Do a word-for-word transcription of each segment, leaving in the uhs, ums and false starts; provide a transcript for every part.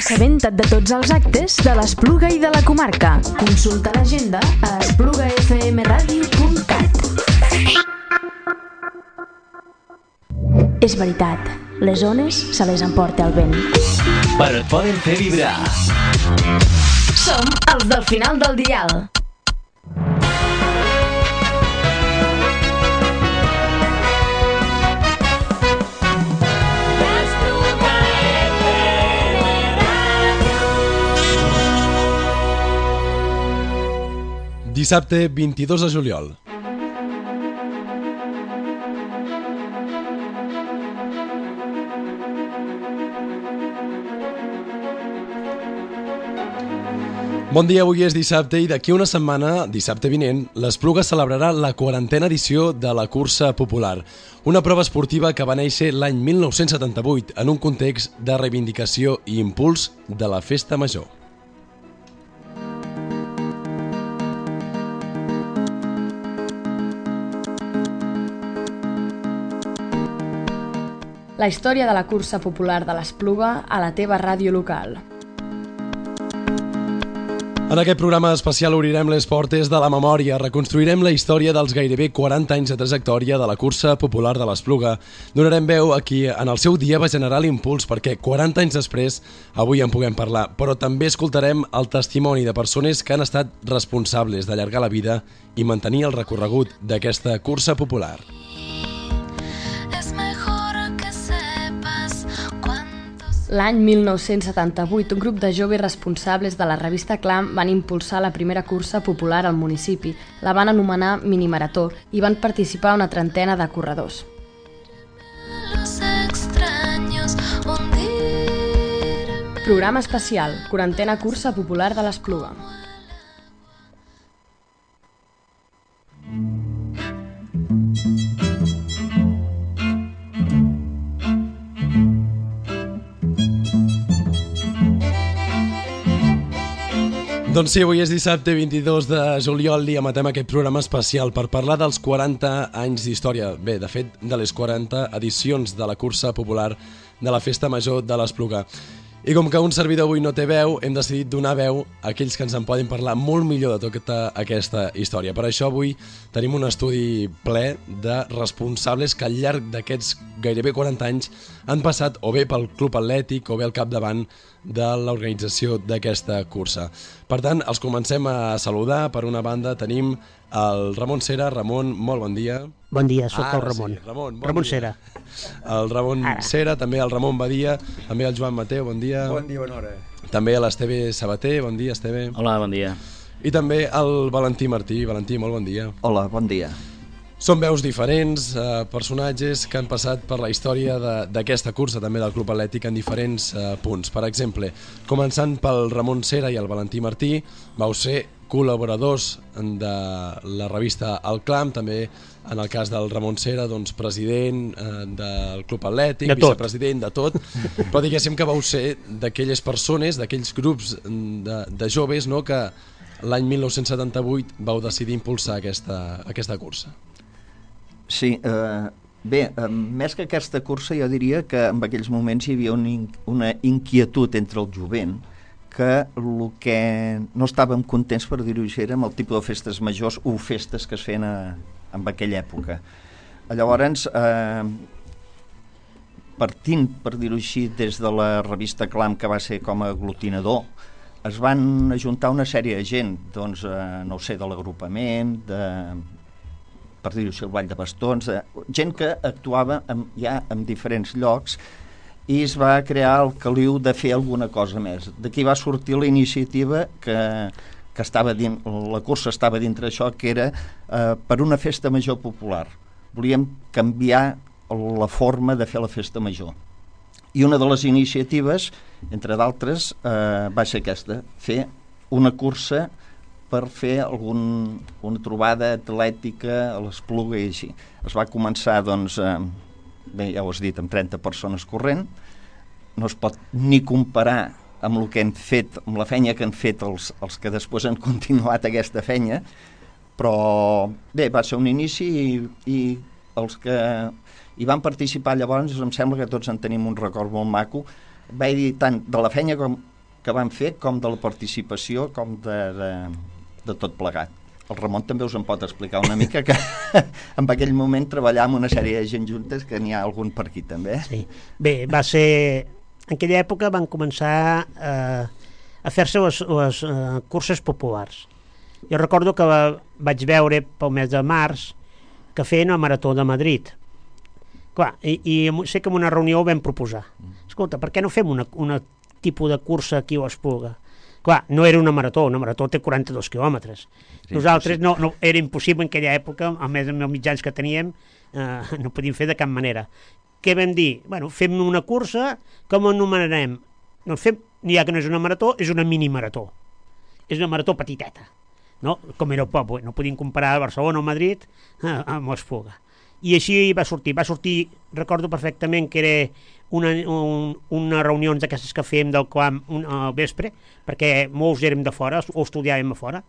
assabenta't de tots els actes de l'Espluga i de la comarca. Consulta l'agenda a espluga f m radio punt cat. És veritat, les ones se les emporta el vent. Però et poden fer vibrar. Som els del final del dial. Dissabte vint-i-dos de juliol. Bon dia, avui és dissabte i d'aquí una setmana, dissabte vinent, l'Espluga celebrarà la quarantena edició de la cursa popular, una prova esportiva que va néixer l'any mil nou-cents setanta-vuit en un context de reivindicació i impuls de la festa major. La història de la cursa popular de l'Espluga a la teva ràdio local. En aquest programa especial obrirem les portes de la memòria, reconstruirem la història dels gairebé quaranta anys de trajectòria de la cursa popular de l'Espluga. Donarem veu a qui en el seu dia va generar l'impuls perquè quaranta anys després avui en puguem parlar, però també escoltarem el testimoni de persones que han estat responsables d'allargar la vida i mantenir el recorregut d'aquesta cursa popular. L'any mil nou-cents setanta-vuit, un grup de joves responsables de la revista Clam van impulsar la primera cursa popular al municipi. La van anomenar Minimarató i van participar una trentena de corredors. Programa especial, quarantena cursa popular de l'Espluga. Doncs sí, avui és dissabte vint-i-dos de juliol i emetem aquest programa especial per parlar dels quaranta anys d'història. Bé, de fet, de les quaranta edicions de la cursa popular de la Festa Major de l'Espluga. I com que un servidor avui no té veu, hem decidit donar veu a aquells que ens en poden parlar molt millor de tota aquesta història. Per això avui tenim un estudi ple de responsables que al llarg d'aquests gairebé quaranta anys han passat o bé pel Club Atlètic o bé al capdavant de l'organització d'aquesta cursa. Per tant, els comencem a saludar. Per una banda tenim el Ramon Cera. Ramon, molt bon dia. Bon dia, sóc Ara el Ramon. Sí, Ramon, bon Ramon dia. Cera. El Ramon Ara. Cera, també el Ramon Badia, també el Joan Mateu, bon dia. Bon dia, bona hora. També l'Esteve Sabater, bon dia, Esteve. Hola, bon dia. I també el Valentí Martí. Valentí, molt bon dia. Hola, bon dia. Són veus diferents, eh, personatges que han passat per la història de- d'aquesta cursa, també del Club Atlètic, en diferents eh, punts. Per exemple, començant pel Ramon Cera i el Valentí Martí, vau ser col·laboradors de la revista El Clam, també en el cas del Ramon Cera, doncs, president eh, del Club Atlètic, De tot. vicepresident, de tot, però diguéssim que vau ser d'aquelles persones, d'aquells grups de, de joves, no?, que l'any mil nou-cents setanta-vuit vau decidir impulsar aquesta, aquesta cursa. Sí, eh, bé, eh, més que aquesta cursa jo diria que en aquells moments hi havia un in, una inquietud entre el jovent que el que no estàvem contents, per dir-ho així, era amb el tipus de festes majors o festes que es feien a, en aquella època. Llavors, eh, partint, per dir-ho així, des de la revista Clam, que va ser com a aglutinador, es van ajuntar una sèrie de gent, doncs, eh, no ho sé, de l'agrupament, de, per dir-ho així, el Ball de Bastons, de, gent que actuava en, ja en diferents llocs, i es va crear el caliu de fer alguna cosa més. D'aquí va sortir la iniciativa que, que estava dins, la cursa estava dintre això, que era eh, per una festa major popular. Volíem canviar la forma de fer la festa major. I una de les iniciatives, entre d'altres, eh, va ser aquesta, fer una cursa per fer algun, una trobada atlètica a l'Espluga i així. Es va començar, doncs, eh, bé, ja ho has dit, amb trenta persones corrent. No es pot ni comparar amb el que hem fet, amb la feina que han fet els, els que després han continuat aquesta feina, però bé, va ser un inici i, i els que hi van participar llavors, em sembla que tots en tenim un record molt maco. Va dir tant de la feina com que van fer, com de la participació, com de, de, de tot plegat. El Ramon també us en pot explicar una mica, que en aquell moment treballàvem una sèrie de gent juntes, que n'hi ha algun per aquí també. Sí. Bé, va ser... En aquella època van començar eh, a fer-se les, les eh, curses populars. Jo recordo que va, vaig veure pel mes de març que feien el Marató de Madrid. Clar, i, i sé que en una reunió ho vam proposar. Escolta, per què no fem una, una tipus de cursa aquí a l'Espluga? Clar, no era una marató, una marató té quaranta-dos quilòmetres. Sí, nosaltres no, no, era impossible en aquella època, a més amb els mitjans que teníem, eh, no podíem fer de cap manera. Què vam dir? Bueno, fem una cursa, com anomenarem? No fem, ja que no és una marató, és una mini-marató. És una marató petiteta, no? Com era el poble, no podíem comparar Barcelona o Madrid eh, amb l'Espluga. I així va sortir, va sortir, recordo perfectament que era una, un, una reunió d'aquestes que fèiem del clam un, al vespre, perquè molts érem de fora, o estudiàvem a fora,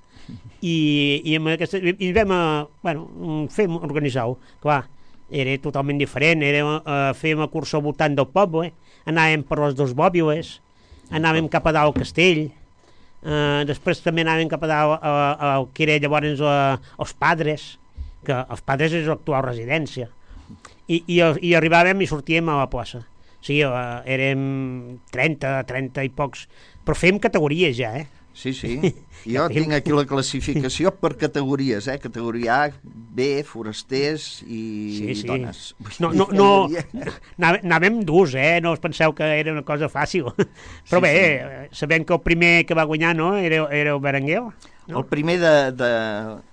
i, i, amb aquesta, i vam a, bueno, fem organitzar-ho. Clar, era totalment diferent, era, uh, fèiem una cursa al voltant del poble, anàvem per les dos bòbiles, anàvem cap a dalt al castell, uh, després també anàvem cap a dalt al que era llavors uh, els Padres, que els Padres és l'actual residència, i, i, i arribàvem i sortíem a la plaça. O sigui, uh, érem trenta, trenta i pocs, però fèiem categories ja, eh? Sí, sí. Jo tinc aquí la classificació per categories, eh? Categoria A, B, forasters i sí, sí. dones. No, no, no, anàvem durs, eh? No us penseu que era una cosa fàcil. Però sí, bé, sí. sabem que el primer que va guanyar, no?, era, era el Berenguer. No? El primer de, de,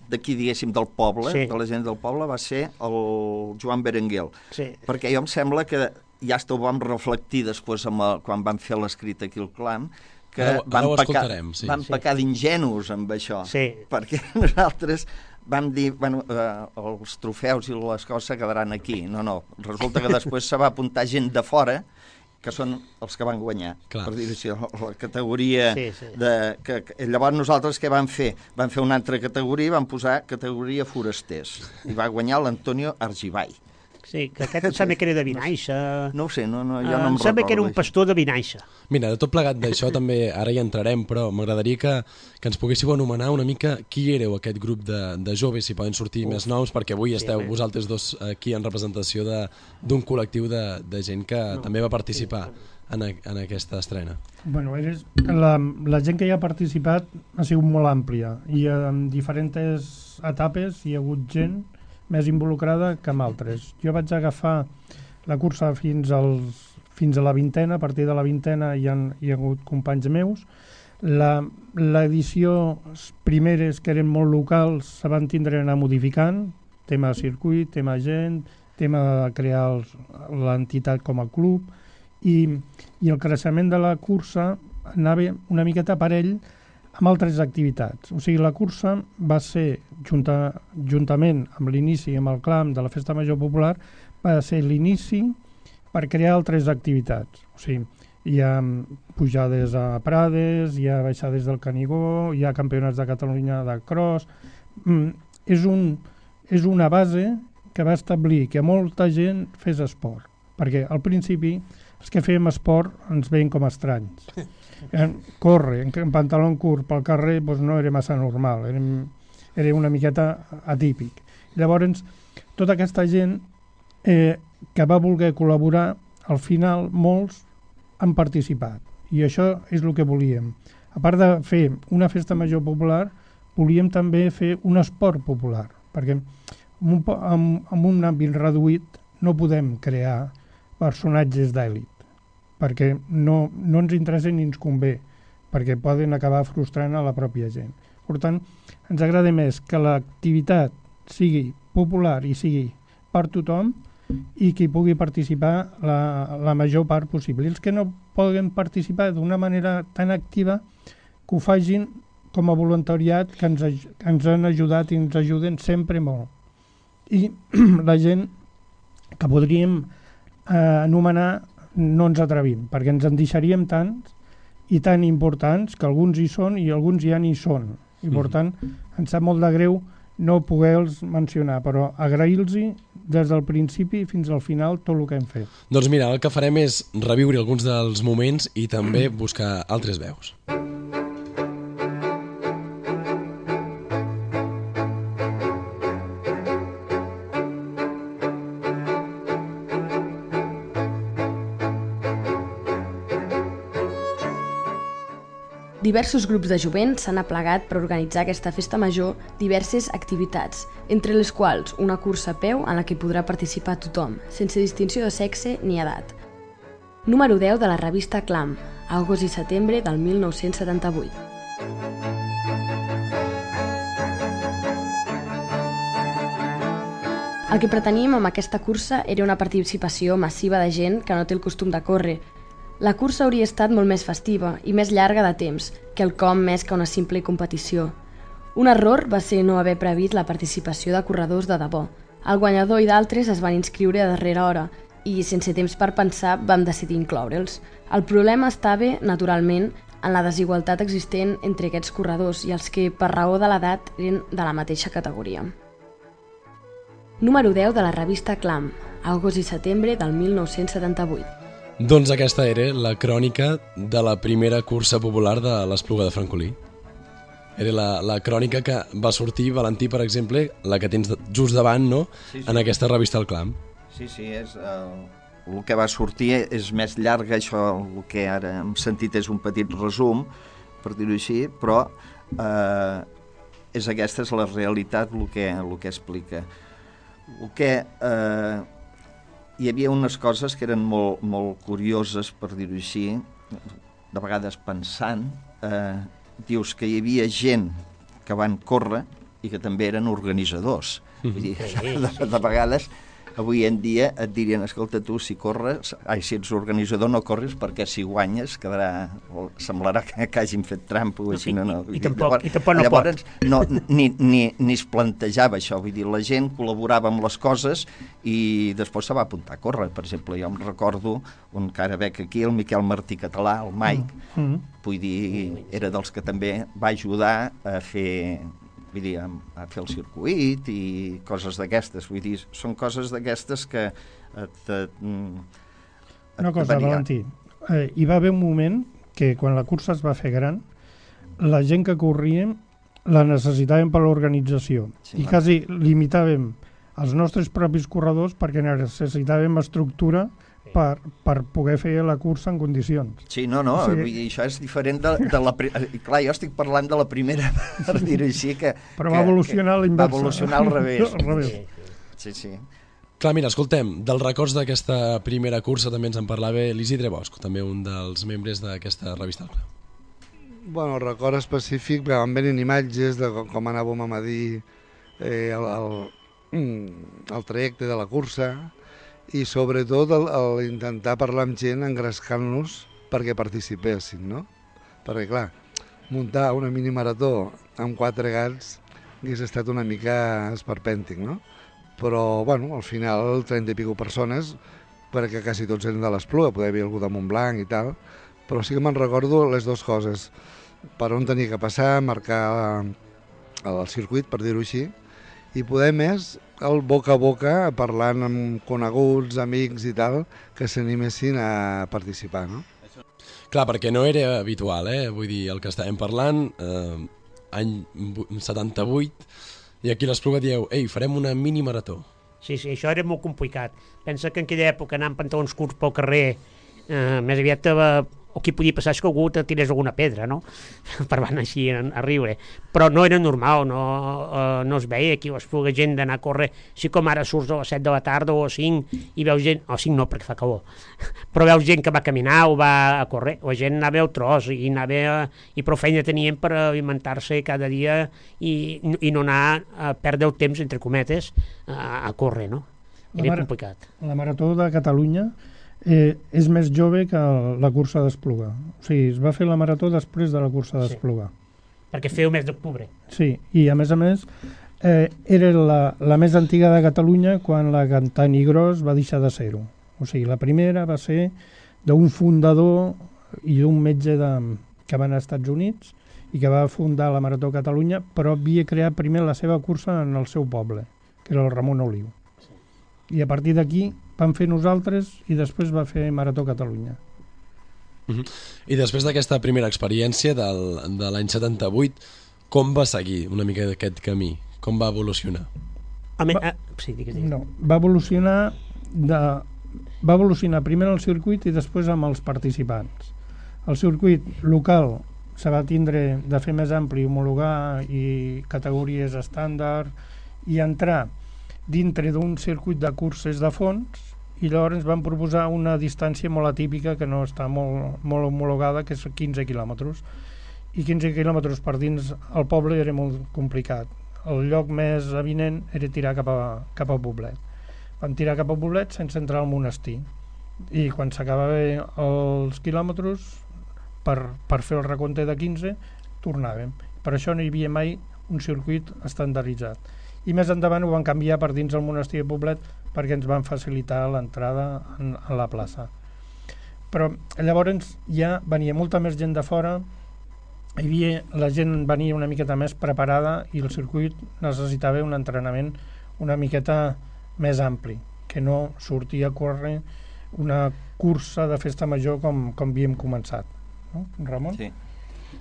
d'aquí, diguéssim, del poble, sí. de la gent del poble, va ser el Joan Berenguer. Sí. Perquè jo em sembla que ja ho vam reflectir després amb el, quan vam fer l'escrit aquí al clam, que ara, van, ara pecar, sí. van pecar d'ingenus amb això, sí. perquè nosaltres vam dir, bueno, eh, els trofeus i les coses quedaran aquí. No, no, resulta que després se va apuntar gent de fora, que són els que van guanyar. Clar. Per dir així, la categoria sí, sí. de... Que, que, llavors nosaltres què vam fer? Vam fer una altra categoria i vam posar categoria forasters. I va guanyar l'Antonio Argibay. Sí, que aquest em sembla que era de Vinaixa. No ho sé, no, no, jo no uh, em em sembla recordo. que era un pastor de Vinaixa. Mira, de tot plegat d'això també ara hi entrarem, però m'agradaria que, que ens poguéssiu anomenar una mica qui éreu aquest grup de, de joves, si poden sortir Uf. més noms, perquè avui esteu sí, vosaltres dos aquí en representació d'un col·lectiu de, de gent que no, també va participar sí. en, a, en aquesta estrena. Bueno, eres, la, la gent que hi ha participat ha sigut molt àmplia i en diferents etapes hi ha hagut gent més involucrada que amb altres. Jo vaig agafar la cursa fins, als, fins a la vintena, a partir de la vintena hi ha, hi ha hagut companys meus. L'edició primeres, que eren molt locals, se van tindre a anar modificant, tema de circuit, tema gent, tema de crear l'entitat com a club, i, i el creixement de la cursa anava una miqueta parell amb altres activitats. O sigui, la cursa va ser, junta, juntament amb l'inici, amb el clam de la Festa Major Popular, va ser l'inici per crear altres activitats. O sigui, hi ha pujades a Prades, hi ha baixades del Canigó, hi ha campionats de Catalunya de cross. Mm, és, un, és una base que va establir que molta gent fes esport, perquè al principi els que fèiem esport ens veien com estranys. Córrer en, en pantaló curt pel carrer doncs no era massa normal, era, era una miqueta atípic. Llavors, tota aquesta gent eh, que va voler col·laborar, al final molts han participat, i això és el que volíem. A part de fer una festa major popular, volíem també fer un esport popular, perquè amb un, amb, amb un àmbit reduït no podem crear personatges d'èlit, perquè no, no ens interessa ni ens convé, perquè poden acabar frustrant a la pròpia gent. Per tant, ens agrada més que l'activitat sigui popular i sigui per tothom i que hi pugui participar la, la major part possible. I els que no poden participar d'una manera tan activa, que ho facin com a voluntariat, que ens, que ens han ajudat i ens ajuden sempre molt. I la gent que podríem eh, anomenar no ens atrevim, perquè ens en deixaríem tants i tan importants que alguns hi són i alguns ja n'hi són. I per tant, ens sap molt de greu no poder-los mencionar, però agrair-los des del principi fins al final tot el que hem fet. Doncs mira, el que farem és reviure alguns dels moments i també buscar altres veus. Diversos grups de jovent s'han aplegat per organitzar aquesta festa major diverses activitats, entre les quals una cursa a peu en la que podrà participar tothom, sense distinció de sexe ni edat. Número deu de la revista Clam, agost i setembre del mil nou-cents setanta-vuit. El que preteníem amb aquesta cursa era una participació massiva de gent que no té el costum de córrer. La cursa hauria estat molt més festiva i més llarga de temps, quelcom més que una simple competició. Un error va ser no haver previst la participació de corredors de debò. El guanyador i d'altres es van inscriure a darrera hora i, sense temps per pensar, vam decidir incloure'ls. El problema estava, naturalment, en la desigualtat existent entre aquests corredors i els que, per raó de l'edat, eren de la mateixa categoria. Número deu de la revista Clam, agost i setembre del mil nou-cents setanta-vuit. Doncs aquesta era la crònica de la primera cursa popular de l'Espluga de Francolí. Era la, la crònica que va sortir, Valentí, per exemple, la que tens just davant, no?, sí, sí. En aquesta revista El Clam. Sí, sí, és, uh, el que va sortir és més llarga, això el que ara hem sentit és un petit resum, per dir-ho així, però uh, és aquesta és la realitat, el que, el que explica. El que... Uh, hi havia unes coses que eren molt, molt curioses, per dir-ho així, de vegades pensant, eh, dius que hi havia gent que van córrer i que també eren organitzadors. Vull dir, de, de vegades, avui en dia et dirien, escolta, tu si corres, ai, si ets organitzador no corres perquè si guanyes quedarà, semblarà que, que hagin fet trampa o així, no, no. I, i, tampoc, llavors, i tampoc no llavors, pot. No, ni, ni, ni es plantejava això, vull dir, la gent col·laborava amb les coses i després se va apuntar a córrer. Per exemple, jo em recordo un que ara veig aquí, el Miquel Martí Català, el Mike, mm -hmm. vull dir, era dels que també va ajudar a fer... vull dir, a fer el circuit i coses d'aquestes, vull dir, són coses d'aquestes que et, et, et una cosa, Valentí, eh, hi va haver un moment que quan la cursa es va fer gran, la gent que corríem la necessitàvem per l'organització sí, i quasi limitàvem els nostres propis corredors perquè necessitàvem estructura Per, per poder fer la cursa en condicions. Sí, no, no, o sigui, vull dir, això és diferent de, de la... Clar, jo estic parlant de la primera, per dir-ho així, que... Però va evolucionar a l'inversa. Va evolucionar al revés. Al revés. Sí, sí. Clar, mira, escoltem, dels records d'aquesta primera cursa també ens en parlava l'Isidre Bosch, també un dels membres d'aquesta revista. Bueno, el record específic, van venint imatges de com anàvem a medir eh, el, el, el trajecte de la cursa, i sobretot el, el intentar parlar amb gent engrescant-los perquè participessin, no? Perquè, clar, muntar una minimarató amb quatre gats hagués estat una mica esperpèntic, no? Però, bueno, al final, trenta i pico persones, perquè quasi tots eren de l'Espluga, poder haver algú de Montblanc i tal, però sí que me'n recordo les dues coses. Per on tenia que passar, marcar el circuit, per dir-ho així, i poder més el boca a boca, parlant amb coneguts, amics i tal, que s'animessin a participar, no? Clar, perquè no era habitual, eh? Vull dir, el que estàvem parlant, eh, any setanta-vuit, i aquí l'Espluga dieu, ei, farem una mini marató. Sí, sí, això era molt complicat. Pensa que en aquella època anar amb pantalons curts pel carrer, eh, més aviat eh, o qui podia passar és que algú te tirés alguna pedra, no? Per van així a, a riure. Però no era normal, no, uh, no es veia aquí l'Espluga gent d'anar a córrer, així com ara surts a les set de la tarda o a cinc i veus gent, o cinc no perquè fa calor, però veus gent que va caminar o va a córrer, la gent anava al tros i, anava a, i prou feina tenien per alimentar-se cada dia i, i no anar a perdre el temps, entre cometes, a, a córrer, no? Era la complicat. La Marató de Catalunya Eh, és més jove que la cursa d'Espluga. O sigui, es va fer la marató després de la cursa d'Espluga. Sí, perquè feu mes d'octubre. Sí, i a més a més eh, era la, la més antiga de Catalunya quan la Cantanigrós va deixar de ser-ho. O sigui, la primera va ser d'un fundador i d'un metge de, que van als Estats Units i que va fundar la Marató Catalunya, però havia creat primer la seva cursa en el seu poble, que era el Ramon Oliu. I a partir d'aquí vam fer nosaltres i després va fer Marató Catalunya. Uh -huh. I després d'aquesta primera experiència del, de l'any setanta-vuit, com va seguir una mica d'aquest camí? Com va evolucionar? Home, Va, ah, sí, digues, digues. no, va evolucionar de, va evolucionar primer el circuit i després amb els participants. El circuit local se va tindre de fer més ampli, homologar i categories estàndard i entrar dintre d'un circuit de curses de fons, i llavors van proposar una distància molt atípica que no està molt, molt homologada, que és quinze quilòmetres, i quinze quilòmetres per dins el poble era molt complicat. El lloc més avinent era tirar cap a, cap a Poblet. Vam tirar cap a Poblet sense entrar al monestir, i quan s'acabaven els quilòmetres per, per fer el recompte de quinze tornàvem. Per això no hi havia mai un circuit estandarditzat, i més endavant ho van canviar per dins el monestir de Poblet perquè ens van facilitar l'entrada en, en la plaça. Però llavors ja venia molta més gent de fora, hi havia, la gent venia una miqueta més preparada i el circuit necessitava un entrenament una miqueta més ampli, que no sortia a córrer una cursa de festa major com, com havíem començat. No, Ramon? Sí.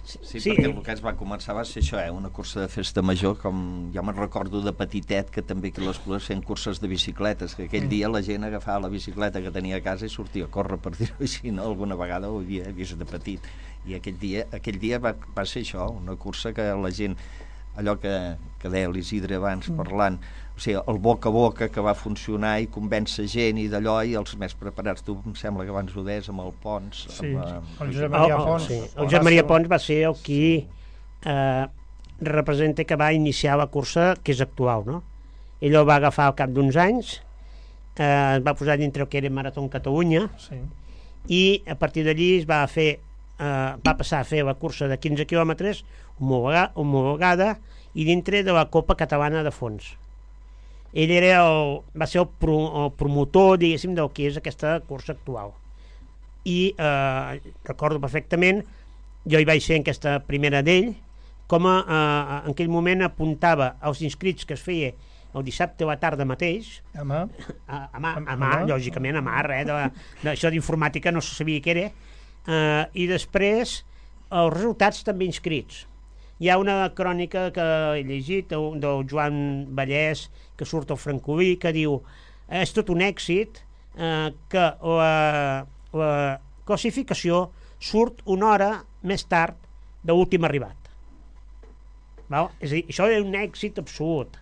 Sí, sí, Sí, perquè eh. el que es va començar va ser això, eh? Una cursa de festa major, com jo me'n recordo de petitet, que també que les Plugues feien curses de bicicletes, que aquell dia la gent agafava la bicicleta que tenia a casa i sortia a córrer, per dir-ho així, no? Alguna vegada ho havia vist de petit, i aquell dia, aquell dia va, va ser això, una cursa que la gent, allò que, que deia l'Isidre abans parlant, o sigui, el boca a boca que va funcionar i convèncer gent i d'allò, i els més preparats, tu em sembla que abans ho deies amb el Pons, Sí, amb, eh, el Josep Oh, Maria oh, Pons. sí. El Josep Maria Pons va ser el qui eh, representa que va iniciar la cursa que és actual, no? Ell ho va agafar al cap d'uns anys, eh, es va posar dintre el que era Marató Catalunya, Sí. i a partir d'allí es va fer eh, va passar a fer la cursa de quinze quilòmetres homologa, homologada i dintre de la Copa Catalana de Fons. Ell era el, va ser el, pro, el promotor, diguéssim, del que és aquesta cursa actual. I eh, recordo perfectament, jo hi vaig ser en aquesta primera d'ell, com a, eh, en aquell moment apuntava als inscrits que es feia el dissabte a la tarda mateix, A mà? a, a, mà, A- a a mà, mà? lògicament, a mà, res, de, de, això d'informàtica no se sabia què era, eh, i després els resultats també inscrits. Hi ha una crònica que he llegit del, del Joan Vallès, que surt al Francolí, que diu és tot un èxit eh, que la, la classificació surt una hora més tard de l'últim arribat. Val? És a dir, això és un èxit absolut.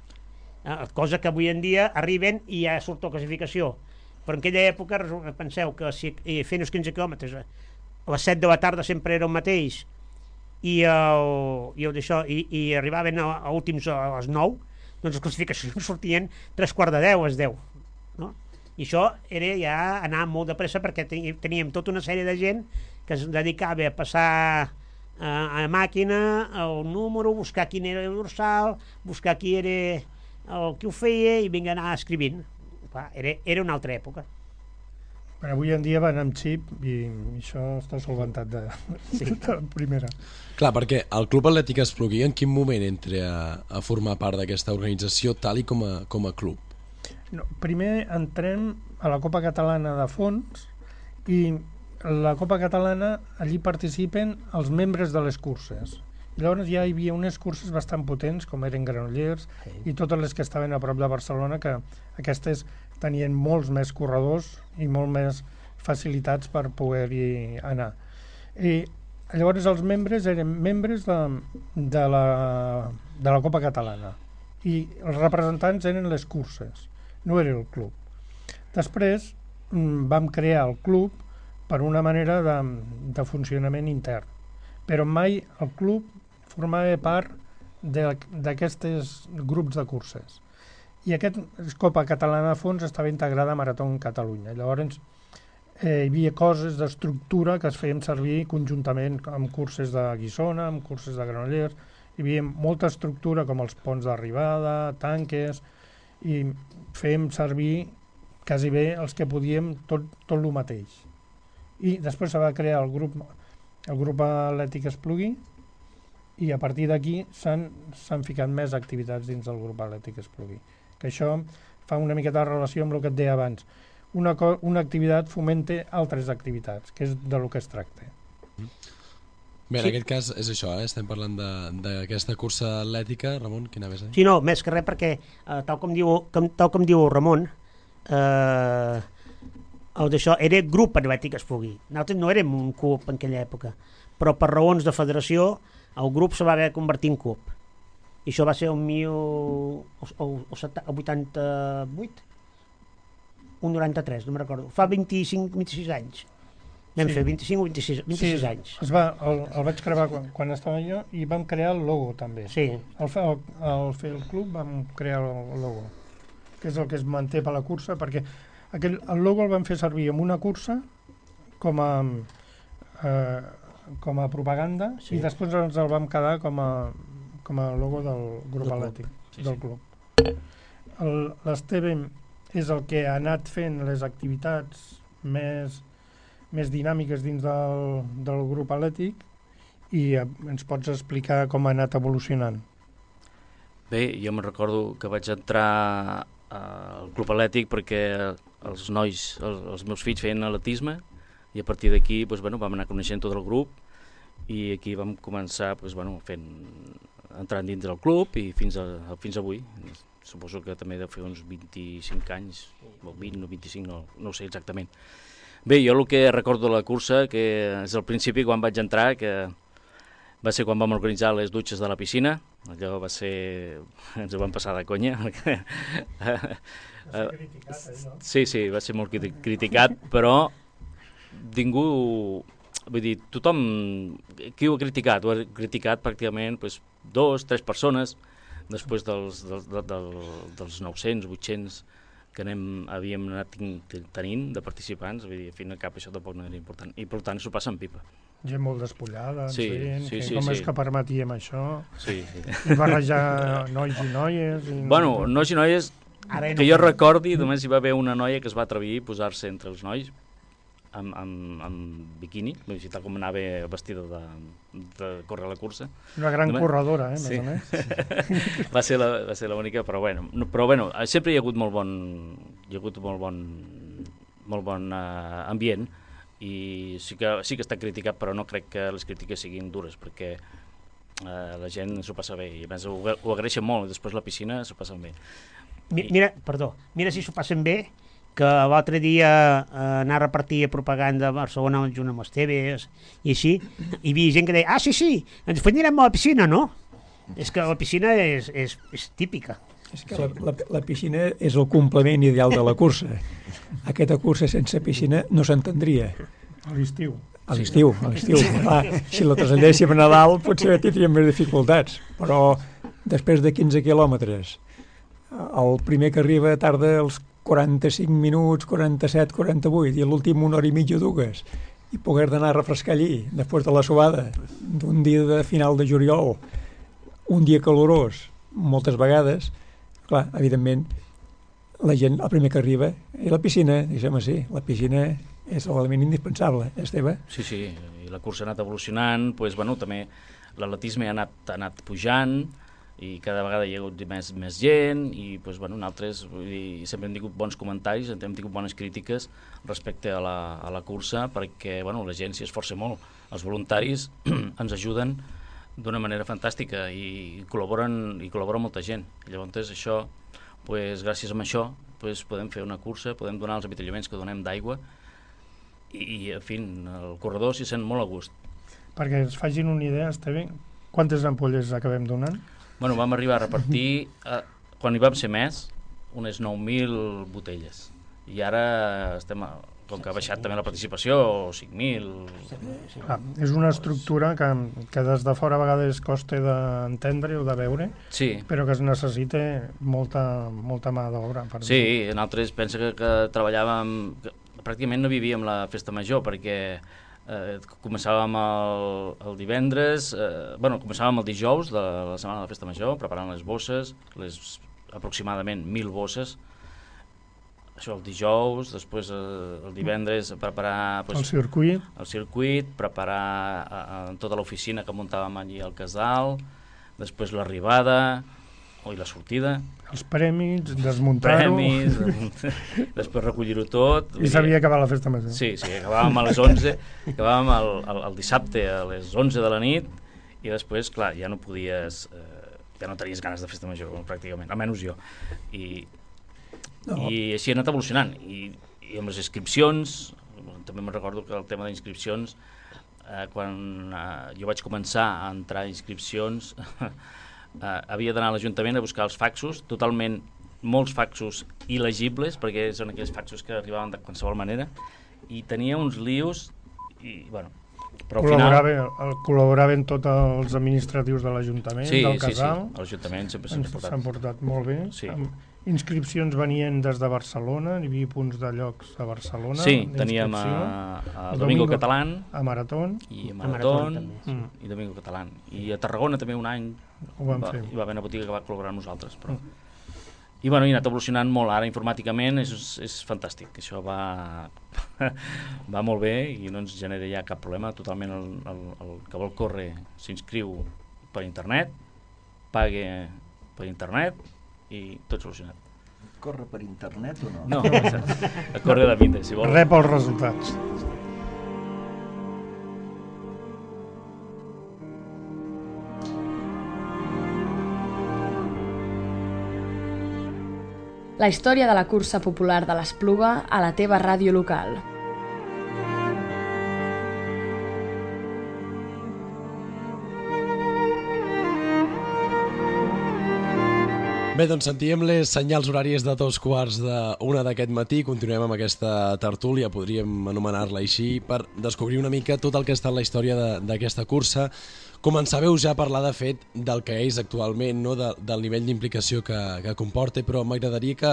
Eh, cosa que avui en dia arriben i ja surt la classificació. Però en aquella època, resu- penseu que si eh, fent els quinze quilòmetres a les set de la tarda sempre era el mateix, i, el, i, el d'això, i, i arribaven a, a últims a les nou, doncs les classificacions sortien tres quarts de deu, a les deu, no? I això era ja anar molt de pressa, perquè teni- teníem tota una sèrie de gent que es dedicava a passar a, a màquina el número, buscar quin era el dorsal, buscar qui era el que ho feia i vinga anar escrivint. Clar, era, era una altra època. Però avui en dia van amb xip i això està solventat de, sí. de la primera. Clar, perquè el Club Atlètic Espluguí en quin moment entra a, a formar part d'aquesta organització tal i com a, com a club? No, primer entrem a la Copa Catalana de Fons i la Copa Catalana allí participen els membres de les curses. I llavors ja hi havia unes curses bastant potents com eren Granollers sí. i totes les que estaven a prop de Barcelona, que aquestes tenien molts més corredors i molt més facilitats per poder-hi anar. I llavors els membres eren membres de, de, la, de la Copa Catalana i els representants eren les curses, no era el club. Després vam crear el club per una manera de, de funcionament intern, però mai el club formava part d'aquests grups de curses. I aquest Copa Catalana de Fons estava integrada a Marató Catalunya. Llavors eh, hi havia coses d'estructura que es feien servir conjuntament amb curses de Guissona, amb curses de Granollers. Hi havia molta estructura com els ponts d'arribada, tanques, i fèiem servir quasi bé els que podíem tot, tot el mateix. I després se va crear el grup, el grup Atlètic Espluguí i a partir d'aquí s'han s'han ficat més activitats dins del grup atlètic Esplugui. Que això fa una miqueta de relació amb el que et deia abans. Una, co una activitat fomenta altres activitats, que és de lo que es tracta. Bé, en Sí. aquest cas és això, eh? Estem parlant d'aquesta cursa atlètica. Ramon, quina més? Eh? Sí, no, més que res perquè, eh, tal, com diu, com, tal com diu Ramon, eh, el d'això era grup atlètic Esplugui. Nosaltres no érem un club en aquella època, però per raons de federació el grup se va haver de convertir en club. I això va ser el mil vuitanta-vuit, un noranta-tres, no me'n recordo. Fa vint-i-cinc, vint-i-sis anys. Vam Sí. fer vint-i-cinc o vint-i-sis, vint-i-sis Sí, anys. es va, el, el vaig crear quan, quan estava jo i vam crear el logo també. Sí, Al fer el, al fer el club vam crear el logo, que és el que es manté per la cursa, perquè aquell, el logo el vam fer servir en una cursa com a, eh, com a propaganda Sí. i després ens el vam quedar com a, com a logo del grup Del club. atlètic, Sí, del sí. club. El- L'Esteve és el que ha anat fent les activitats més, més dinàmiques dins del, del grup atlètic i eh, ens pots explicar com ha anat evolucionant. Bé, jo me'n recordo que vaig entrar al club atlètic perquè els nois, els, els meus fills feien atletisme i a partir d'aquí doncs, bueno, vam anar coneixent tot el grup i aquí vam començar doncs, bueno, fent, entrant dins del club i fins, a, fins avui. Suposo que també deu fer uns vint-i-cinc anys, o vint o vint-i-cinc, no, no ho sé exactament. Bé, jo el que recordo de la cursa, que és al principi quan vaig entrar, que va ser quan vam organitzar les dutxes de la piscina. Allò va ser... ens ho vam passar de conya. Sí, sí, va ser molt criticat, però ningú... Vull dir, tothom... Qui ho ha criticat? Ho ha criticat pràcticament doncs, dos, tres persones després dels, dels, dels, dels nou-cents, vuit-cents que anem, havíem anat tenint de participants. Vull dir, al fin i al cap això tampoc no era important. I per tant s'ho passa en pipa. Gent molt despullada, Sí, gent, sí, que sí, com sí. és que permetíem això, Sí, sí. i barrejar nois i noies... I Bueno, nois i noies, Ara ja no que jo fem. recordi, només hi va haver una noia que es va atrevir a posar-se entre els nois amb, amb, amb biquini, vull dir, tal com anava vestida de, de córrer la cursa. Una gran Només- corredora, eh, més Sí. o menys. va ser la, va ser l'única, però bueno, no, però bueno, sempre hi ha hagut molt bon, hi ha hagut molt bon, molt bon uh, ambient i sí que, sí que està criticat, però no crec que les crítiques siguin dures, perquè uh, la gent s'ho passa bé i a més ho, ho agraeixen molt i després la piscina s'ho passen bé. Mi- Mira, perdó, mira si s'ho passen bé, que l'altre dia eh, anar a repartir propaganda a Barcelona junt amb les T Vs i així, hi havia gent que deia, ah, sí, sí, ens anirem a la piscina, no? És que la piscina és, és, és típica. És que la, la, la piscina és el complement ideal de la cursa. Aquesta cursa sense piscina no s'entendria. A l'estiu. A l'estiu, a l'estiu. Clar, si la traslladéssim a Nadal potser tindríem més dificultats, però després de quinze quilòmetres, el primer que arriba tarda els quaranta-cinc minuts, quaranta-set, quaranta-vuit, i l'últim una hora i mitja, dues, i poder d'anar a refrescar allí, després de la suada, d'un dia de final de juliol, un dia calorós, moltes vegades, clar, evidentment, la gent, el primer que arriba, i la piscina, deixem així, la piscina és l'element indispensable, Esteve? Sí, sí, i la cursa ha anat evolucionant, doncs, bueno, també l'atletisme ha anat, ha anat pujant, i cada vegada hi ha hagut més, més gent i doncs, bueno, nosaltres vull dir, sempre hem tingut bons comentaris, hem tingut bones crítiques respecte a la, a la cursa perquè bueno, la gent s'hi esforça molt, els voluntaris ens ajuden d'una manera fantàstica i col·laboren, i col·labora molta gent. Llavors això, pues, gràcies a això pues, podem fer una cursa, podem donar els avituallaments que donem d'aigua i, i en fi, el corredor s'hi sent molt a gust. Perquè es facin una idea, està bé, quantes ampolles acabem donant? Bueno, vam arribar a repartir, eh, quan hi vam ser més, unes nou mil botelles. I ara estem, a, com que ha baixat també la participació, cinc mil... Ah, és una estructura que, que des de fora a vegades costa d'entendre o de veure, Sí, però que es necessita molta, molta mà d'obra. per sí, dir-ho. nosaltres pensa que, que treballàvem, que pràcticament no vivíem la festa major, perquè eh, començàvem el, el divendres, eh, bueno, començàvem el dijous de la setmana de la festa major, preparant les bosses, les aproximadament mil bosses, això el dijous, després eh, el divendres preparar pues, el circuit, el circuit preparar eh, tota l'oficina que muntàvem allí al casal, després l'arribada i la sortida, els premis, desmuntar-ho, premis, després recollir-ho tot. I s'havia acabat la festa major. Sí, sí, acabàvem a les onze, acabàvem el, el, el dissabte a les onze de la nit, i després, clar, ja no podies, eh, ja no tenies ganes de festa major, pràcticament, almenys jo. I, no. i així ha anat evolucionant. I, i amb les inscripcions, també me'n recordo que el tema d'inscripcions, eh, quan eh, jo vaig començar a entrar a inscripcions, Uh, havia d'anar a l'Ajuntament a buscar els faxos, totalment molts faxos il·legibles, perquè són aquells faxos que arribaven de qualsevol manera, i tenia uns lius, i, bueno, però al final... El, col·laboraven tots els administratius de l'Ajuntament, sí, del casal. Sí, sí, l'Ajuntament sempre s'han portat. S'han portat molt bé. Sí. Amb inscripcions venien des de Barcelona, hi havia punts de llocs a Barcelona. Sí, teníem a, a Domingo, Domingo Catalán, a Maratón, i a Maratón, a mm. i Domingo Catalán. I a Tarragona també un any ho vam va, fer. Hi va haver una botiga que va col·laborar amb nosaltres. Però... Mm. I bueno, ha anat evolucionant molt, ara informàticament és, és fantàstic, això va, va molt bé i no ens genera ja cap problema, totalment el, el, el que vol córrer s'inscriu per internet, pague per internet i tot solucionat. Corre per internet o no? No, a corre de vida, si vol. Rep els resultats. La història de la cursa popular de l'Espluga a la teva ràdio local. Bé, doncs sentíem les senyals horàries de dos quarts d'una d'aquest matí. Continuem amb aquesta tertúlia, podríem anomenar-la així, per descobrir una mica tot el que ha estat la història d'aquesta cursa. Començàveu ja a parlar, de fet, del que és actualment, no? de, del nivell d'implicació que, que comporta, però m'agradaria que,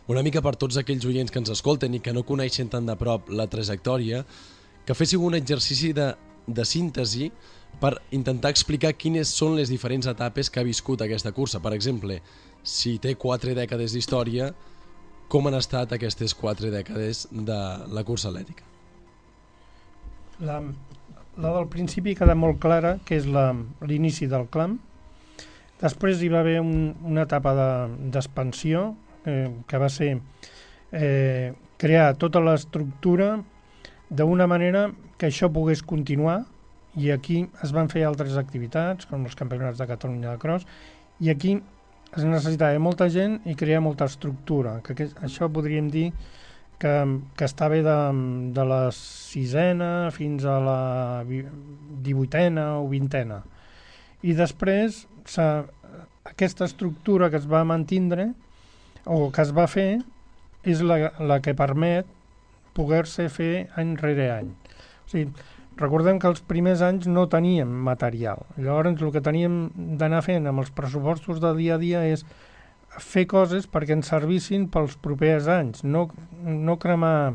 una mica per tots aquells oients que ens escolten i que no coneixen tan de prop la trajectòria, que féssiu un exercici de, de síntesi per intentar explicar quines són les diferents etapes que ha viscut aquesta cursa. Per exemple, si té quatre dècades d'història, com han estat aquestes quatre dècades de la cursa atlètica? La, la del principi queda molt clara, que és l'inici del clam. Després hi va haver un, una etapa d'expansió, de, eh, que va ser eh, crear tota l'estructura d'una manera que això pogués continuar, i aquí es van fer altres activitats, com els campionats de Catalunya de cross, i aquí es necessitava molta gent i crear molta estructura, que, que això podríem dir que, que estava de, de la sisena fins a la divuitena o vintena. I després aquesta estructura que es va mantindre o que es va fer és la, la que permet poder-se fer any rere any. O sigui, recordem que els primers anys no teníem material. Llavors el que teníem d'anar fent amb els pressupostos de dia a dia és fer coses perquè ens servissin pels propers anys, no, no cremar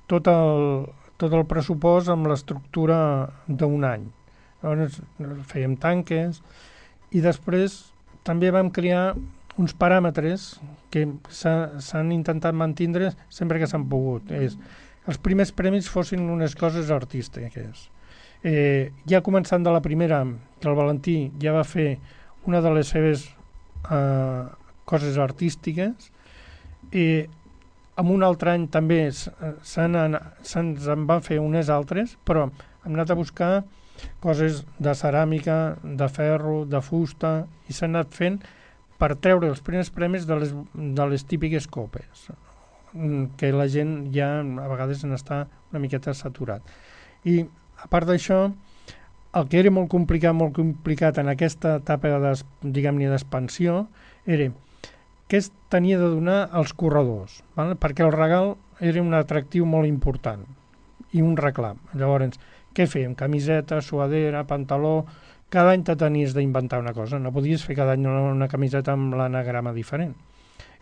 tot el, tot el pressupost amb l'estructura d'un any. Llavors fèiem tanques i després també vam crear uns paràmetres que s'han intentat mantindre sempre que s'han pogut. És els primers premis fossin unes coses artístiques. Eh, ja començant de la primera, que el Valentí ja va fer una de les seves eh, coses artístiques, i en un altre any també se'ns en van fer unes altres, però hem anat a buscar coses de ceràmica, de ferro, de fusta, i s'han anat fent per treure els primers premis de les, de les típiques copes, que la gent ja a vegades n'està una miqueta saturat. I a part d'això, el que era molt complicat, molt complicat en aquesta etapa de, diguem-ne, d'expansió era què es tenia de donar als corredors, val? Perquè el regal era un atractiu molt important i un reclam. Llavors, què fèiem? Camiseta, suadera, pantaló... Cada any te tenies d'inventar una cosa, no podies fer cada any una, una camiseta amb l'anagrama diferent.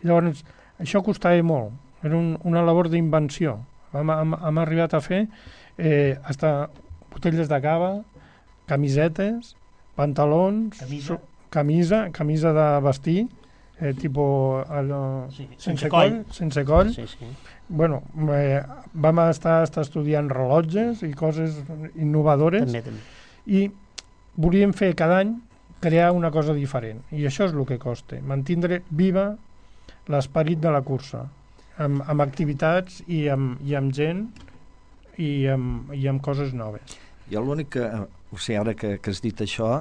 I llavors, això costava molt. Era un, una labor d'invenció. Hem, hem, hem arribat a fer eh, hasta botelles de cava, camisetes, pantalons, camisa, camisa, camisa de vestir, eh, tipus allò, sí, sense, sense coll, coll. sense coll. Sí, sí. Bueno, eh, vam estar, estar estudiant rellotges i coses innovadores. També, també. I volíem fer cada any crear una cosa diferent. I això és el que costa, mantindre viva l'esperit de la cursa, amb, amb activitats i amb, i amb gent i amb, i amb coses noves. Jo l'únic que, o sigui, ara que, que has dit això,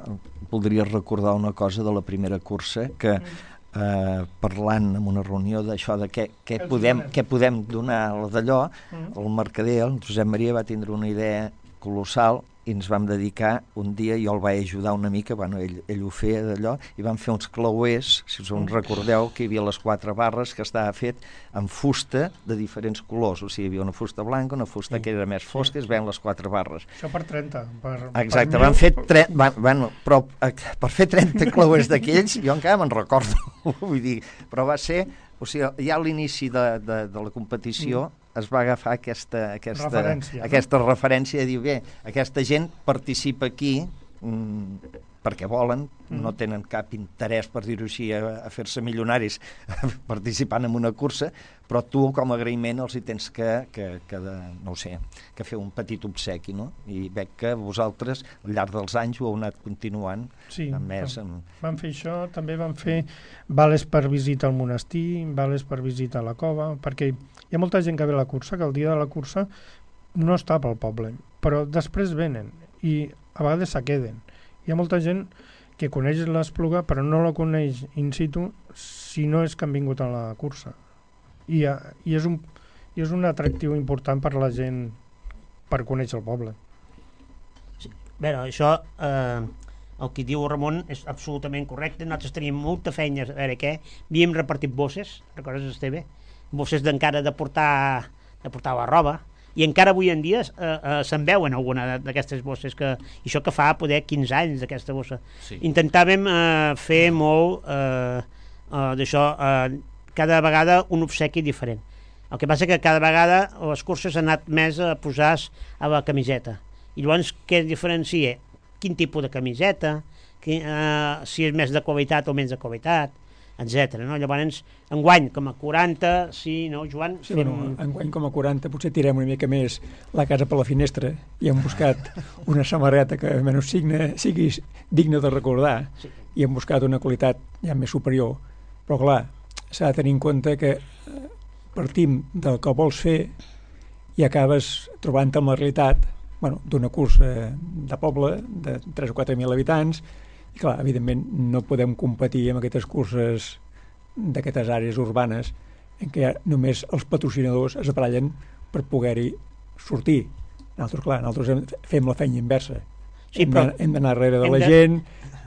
voldria recordar una cosa de la primera cursa, que eh, parlant en una reunió d'això, de què, què, podem, què podem donar d'allò, el mercader, el Josep Maria, va tindre una idea colossal i ens vam dedicar un dia, jo el vaig ajudar una mica, bueno, ell, ell ho feia d'allò, i vam fer uns clauers, si us en recordeu, que hi havia les quatre barres que estava fet amb fusta de diferents colors, o sigui, hi havia una fusta blanca, una fusta sí, que era més fosca, es veien les quatre barres. Això per trenta. Per, Exacte, per van fer tre... van, bueno, però per fer trenta clauers d'aquells, jo encara me'n recordo, vull dir, però va ser, o sigui, ja a l'inici de, de, de la competició, mm. es va agafar aquesta, aquesta, referència, aquesta no? referència de dir, bé, aquesta gent participa aquí mmm, perquè volen, mm. no tenen cap interès, per dir-ho així, a, a fer-se milionaris participant en una cursa, però tu com a agraïment els hi tens que, que, que de, no ho sé, que fer un petit obsequi, no? I veig que vosaltres al llarg dels anys ho heu anat continuant. Sí, amb més, amb... vam fer això, també vam fer vales per visita al monestir, vales per visita a la cova, perquè hi ha molta gent que ve a la cursa, que el dia de la cursa no està pel poble, però després venen i a vegades se queden. Hi ha molta gent que coneix l'Espluga però no la coneix in situ si no és que han vingut a la cursa. I, i, és, un, i és un atractiu important per la gent per conèixer el poble. Sí. Bé, això, eh, el que diu Ramon és absolutament correcte. Nosaltres teníem molta feina, a veure què, havíem repartit bosses, recordes, Esteve? Bosses d'encara de portar, de portar la roba, i encara avui en dia eh, eh, se'n veuen alguna d'aquestes bosses, que, i això que fa poder quinze anys d'aquesta bossa. Sí. Intentàvem eh, fer molt eh, eh, d'això, eh, cada vegada un obsequi diferent. El que passa que cada vegada les curses han anat més a posar a la camiseta. I llavors què diferencia? Quin tipus de camiseta, que, eh, si és més de qualitat o menys de qualitat, etcètera. No? Llavors, enguany com a quaranta, sí, no, Joan? Sí, fem... bueno, enguany com a quaranta potser tirem una mica més la casa per la finestra i hem buscat una samarreta que almenys signe, sigui digna de recordar, sí. I hem buscat una qualitat ja més superior. Però clar, s'ha de tenir en compte que partim del que vols fer i acabes trobant-te amb la realitat, bueno, d'una cursa de poble de tres o quatre mil habitants. I clar, evidentment no podem competir amb aquestes curses d'aquestes àrees urbanes en què només els patrocinadors es barallen per poder-hi sortir. Nosaltres, clar, nosaltres fem la feina inversa. Sí, hem, hem d'anar darrere de la de... gent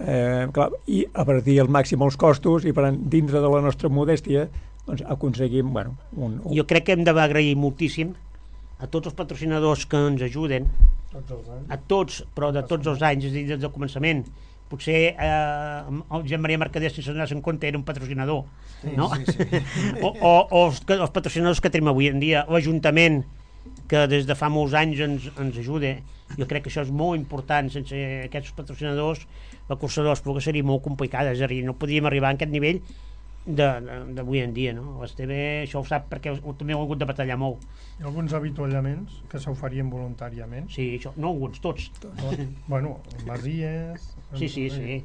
eh, clar, i abatir al màxim els costos i per dintre de la nostra modèstia doncs, aconseguim... Bueno, un, un... Jo crec que hem d'agrair moltíssim a tots els patrocinadors que ens ajuden, a tots, però de tots els anys, és a dir, des del començament. Potser eh, el Josep Maria Mercader, si se'n donés en compte, era un patrocinador, sí, no? Sí, sí. o, o, o els, els patrocinadors que tenim avui en dia, l'Ajuntament, que des de fa molts anys ens, ens ajuda. Jo crec que això és molt important. Sense aquests patrocinadors la cursa de l'Espluga seria molt complicada, és a dir, no podríem arribar a aquest nivell d'avui en dia, no? L'Esteve això ho sap perquè també ho ha hagut de batallar molt. Hi ha alguns avituallaments que s'oferien voluntàriament? Sí, això, no alguns, tots. Tot. Bueno, masies... Sí, sí, sí.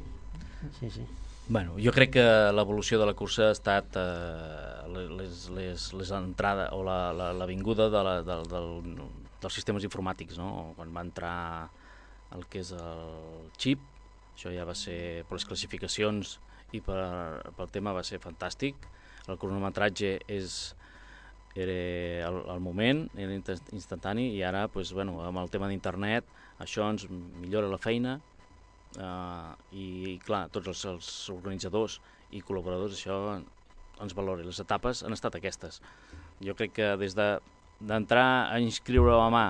sí, sí. Bueno, jo crec que l'evolució de la cursa ha estat eh, les, les, les entrades o la, la, la vinguda de la, de, del, dels sistemes informàtics, no? Quan va entrar el que és el xip, això ja va ser per les classificacions i per, pel tema va ser fantàstic. El cronometratge és, era al, al moment, era instantani, i ara, pues, bueno, amb el tema d'internet, això ens millora la feina. Uh, i, i clar, tots els, els organitzadors i col·laboradors això ens valora. Les etapes han estat aquestes. Jo crec que des de d'entrar a inscriure a mà,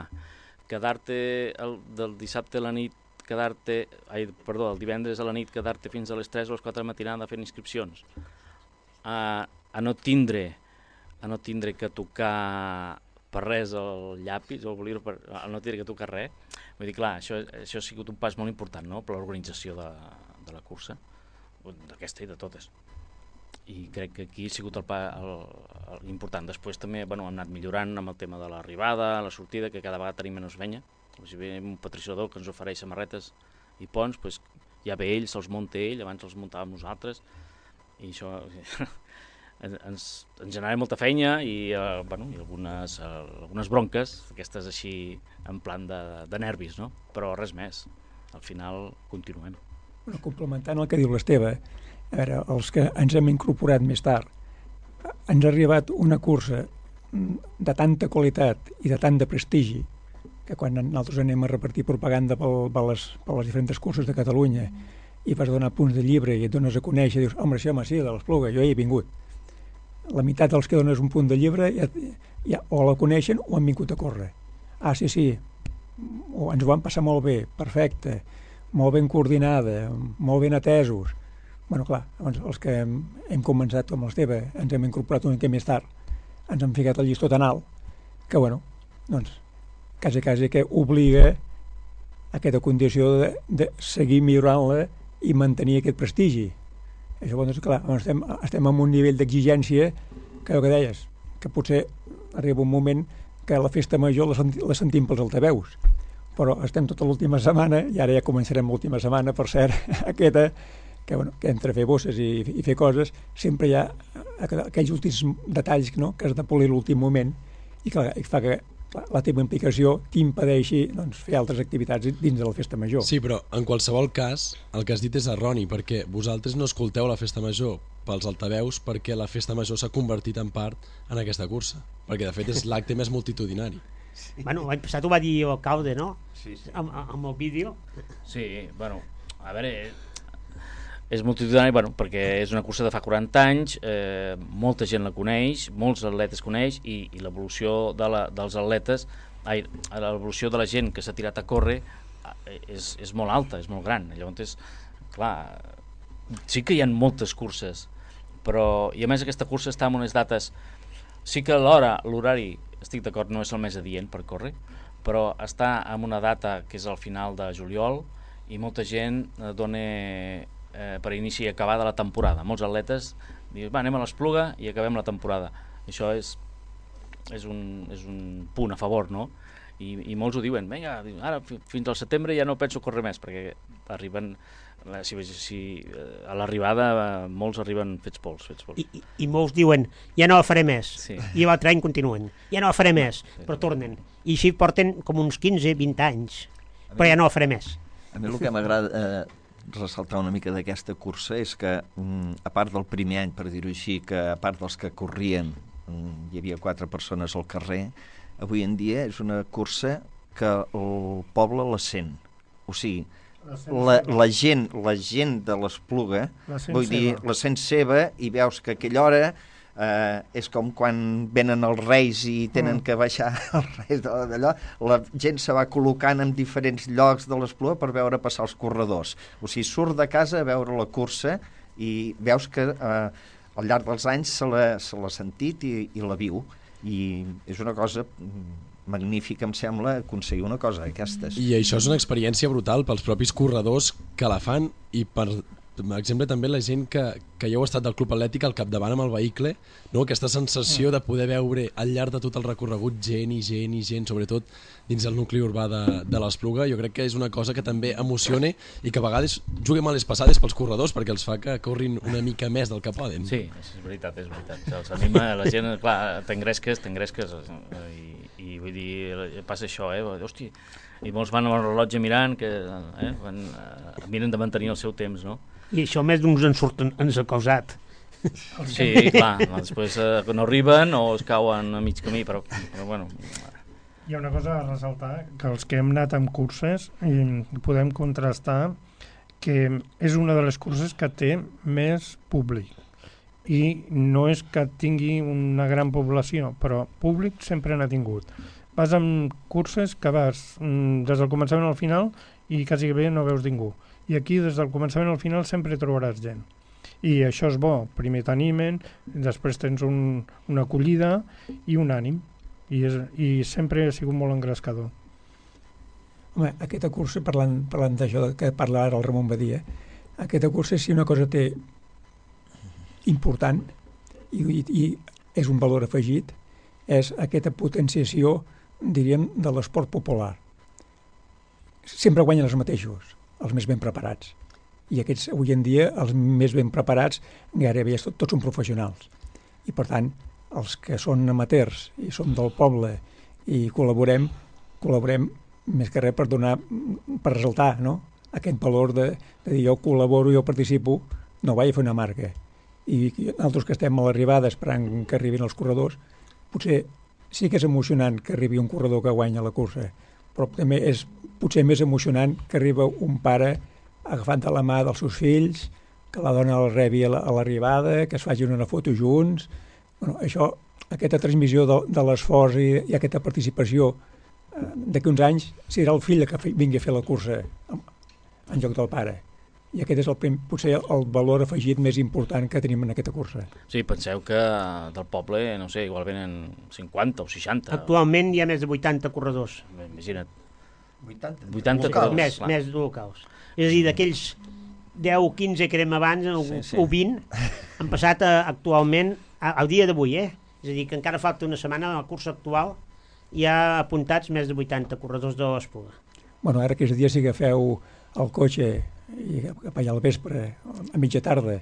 quedar-te el, del dissabte a la nit, quedar-te, ai, perdó, el divendres a la nit, quedar-te fins a les tres o les quatre de la matinada fent inscripcions, a, a no tindre a no tindre que tocar per res el llapis o el per, a no tindre que tocar res. Vull dir, clar, això, això ha sigut un pas molt important, no?, per l'organització de, de la cursa, d'aquesta i de totes. i crec que aquí ha sigut el, pa, el, el important. Després també bueno, hem anat millorant amb el tema de l'arribada, la sortida, que cada vegada tenim menys penya. Si ve un patrocinador que ens ofereix samarretes i ponts, doncs ja ve ell, se'ls munta ell, abans els muntàvem nosaltres, i això ens, ens generava molta feina i, eh, bueno, i algunes, eh, algunes bronques, aquestes així en plan de, de nervis, no? Però res més, al final continuem. Bueno, complementant el que diu l'Esteve, a veure, els que ens hem incorporat més tard, ens ha arribat una cursa de tanta qualitat i de tant de prestigi que quan nosaltres anem a repartir propaganda per, per, les, per les diferents curses de Catalunya i vas donar punts de llibre i et dones a conèixer i dius, home, sí, home, sí, de l'Espluga, jo hi he vingut. La meitat dels que dones un punt de llibre ja, ja o la coneixen o han vingut a córrer. Ah, sí, sí, o ens ho van passar molt bé, perfecte, molt ben coordinada, molt ben atesos. Bueno, clar, doncs els que hem, hem començat com l'Esteve, ens hem incorporat una mica més tard, ens hem ficat el llistó tan alt, que, bueno, doncs, quasi, quasi que obliga a aquesta condició de, de seguir millorant-la i mantenir aquest prestigi. Això, doncs, clar, estem, estem en un nivell d'exigència que, el que deies, que potser arriba un moment que la festa major la, senti, la sentim pels altaveus, però estem tota l'última setmana, i ara ja començarem l'última setmana, per cert, aquesta, que, bueno, que entre fer bosses i, i fer coses, sempre hi ha aquells últims detalls, no?, que has de polir l'últim moment, i clar, i fa que la teva implicació t'impedeixi doncs, fer altres activitats dins de la festa major. Sí, però en qualsevol cas el que has dit és erroni, perquè vosaltres no escolteu la festa major pels altaveus perquè la festa major s'ha convertit en part en aquesta cursa, perquè de fet és l'acte més multitudinari. Sí. Bueno, l'any passat ho va dir l'alcalde, no? Sí, sí. Amb, amb el vídeo. Sí, bueno, a veure, és multitudinari, bueno, perquè és una cursa de fa quaranta anys, eh, molta gent la coneix, molts atletes coneix, i, i l'evolució de la, dels atletes, ai, l'evolució de la gent que s'ha tirat a córrer és, és molt alta, és molt gran. Llavors, clar, sí que hi ha moltes curses, però, i a més aquesta cursa està en unes dates, sí que l'hora, l'horari, estic d'acord, no és el més adient per córrer, però està en una data que és al final de juliol, i molta gent dona Eh, per inici i acabar de la temporada. Molts atletes diuen, va, anem a l'Espluga i acabem la temporada. Això és, és, un, és un punt a favor, no? I, i molts ho diuen, vinga, ara fins al setembre ja no penso córrer més, perquè arriben, si, si, a l'arribada molts arriben fets pols. Fets pols. I, i, I molts diuen, ja no la faré més, sí. I l'altre any continuen, ja no la faré més, sí, però tornen. I així porten com uns quinze vint anys, però ja no la faré més. A mi el que m'agrada eh, ressaltar una mica d'aquesta cursa és que, a part del primer any, per dir-ho així, que a part dels que corrien hi havia quatre persones al carrer, avui en dia és una cursa que el poble la sent. O sigui, la, la, gent, la gent de l'Espluga, vull dir, la sent seva, i veus que a aquella hora Uh, és com quan venen els reis i tenen mm. que baixar els reis d'allò, la gent se va col·locant en diferents llocs de l'Espluga per veure passar els corredors. O sigui, surt de casa a veure la cursa i veus que uh, al llarg dels anys se l'ha se l'ha sentit i, i la viu, i és una cosa magnífica, em sembla, aconseguir una cosa d'aquestes. I això és una experiència brutal pels propis corredors que la fan, i per per exemple també la gent que, que ja heu estat del Club Atlètic al capdavant amb el vehicle, no? Aquesta sensació de poder veure al llarg de tot el recorregut gent i gent i gent, sobretot dins del nucli urbà de, de l'Espluga, jo crec que és una cosa que també emociona i que a vegades juga males passades pels corredors perquè els fa que corrin una mica més del que poden. Sí, és veritat, és veritat. Els anima, la gent, clar, t'engresques, t'engresques i, i vull dir, passa això, eh? Hòstia, i molts van amb el rellotge mirant, que eh, van, eh, miren de mantenir el seu temps, no? I això més d'uns ens, surten, ens ha causat. Sí, clar, després eh, no arriben o es cauen a mig camí, però, però bueno. Hi ha una cosa a ressaltar, que els que hem anat amb curses i podem contrastar que és una de les curses que té més públic. I no és que tingui una gran població, però públic sempre n'ha tingut. Vas amb curses que vas mm, des del començament al final i quasi bé no veus ningú. I aquí des del començament al final sempre trobaràs gent. I això és bo, primer t'animen, després tens un, una acollida i un ànim. I, és, I sempre ha sigut molt engrescador. Home, aquesta cursa, parlant, parlant d'això que parla ara el Ramon Badia, aquesta cursa, si una cosa té important i, i, i és un valor afegit, és aquesta potenciació, diríem, de l'esport popular. Sempre guanyen els mateixos, els més ben preparats. I aquests, avui en dia, els més ben preparats, gairebé tot, tots són professionals. I, per tant, els que són amateurs i som del poble i col·laborem, col·laborem més que res per donar, per ressaltar, no?, aquest valor de, de dir jo col·laboro, jo participo, no vaig a fer una marca. I nosaltres que estem a l'arribada esperant que arribin els corredors, potser sí que és emocionant que arribi un corredor que guanya la cursa, però també és potser més emocionant que arriba un pare agafant de la mà dels seus fills, que la dona el rebi a l'arribada, que es facin una foto junts. Bueno, això, aquesta transmissió de, de l'esforç i, i aquesta participació, eh, d'aquí uns anys serà el fill que vingui a fer la cursa en lloc del pare. I aquest és el, potser el valor afegit més important que tenim en aquesta cursa. Sí, penseu que del poble, no sé, igual venen cinquanta o seixanta. Actualment hi ha més de vuitanta corredors. Imagina't. vuitanta? vuitanta locals. corredors. Més, més de locals. És a dir, d'aquells deu o quinze que érem abans, o, sí, sí. o vint, han passat a, actualment al dia d'avui, eh? És a dir, que encara falta una setmana a la cursa actual, hi ha apuntats més de vuitanta corredors de l'Espluga. Bueno, ara aquests dies si agafeu el cotxe i cap allà al vespre, a mitja tarda,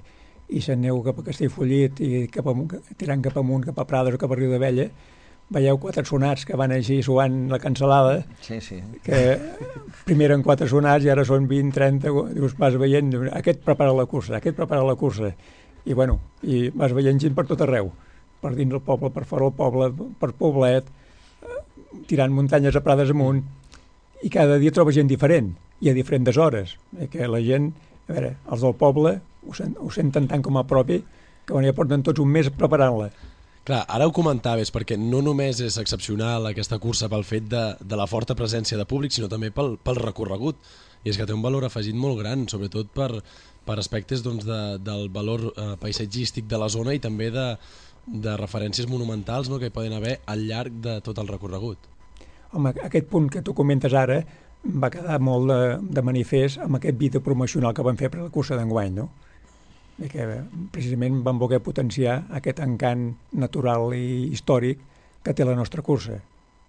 i s'aneu cap a Castellfollit i cap amunt, tirant cap amunt, cap a Prades o cap a Riu d'Abella, veieu quatre sonats que van així suant la cansalada, sí, sí. que primer eren quatre sonats i ara són vint, trenta, dius, vas veient, aquest prepara la cursa, aquest prepara la cursa, i bueno, i vas veient gent per tot arreu, per dins del poble, per fora del poble, per Poblet, tirant muntanyes a Prades amunt, i cada dia troba gent diferent, i a diferents hores, eh, que la gent, a veure, els del poble ho, sent, ho senten tant com a propi que bueno, ja porten tots un mes preparant-la. Clar, ara ho comentaves, perquè no només és excepcional aquesta cursa pel fet de, de la forta presència de públic, sinó també pel, pel recorregut, i és que té un valor afegit molt gran, sobretot per, per aspectes doncs, de, del valor eh, paisatgístic de la zona i també de, de referències monumentals, no?, que hi poden haver al llarg de tot el recorregut. Home, aquest punt que tu comentes ara va quedar molt de, de manifest amb aquest vídeo promocional que van fer per la cursa d'enguany, no? I que precisament van voler potenciar aquest encant natural i històric que té la nostra cursa.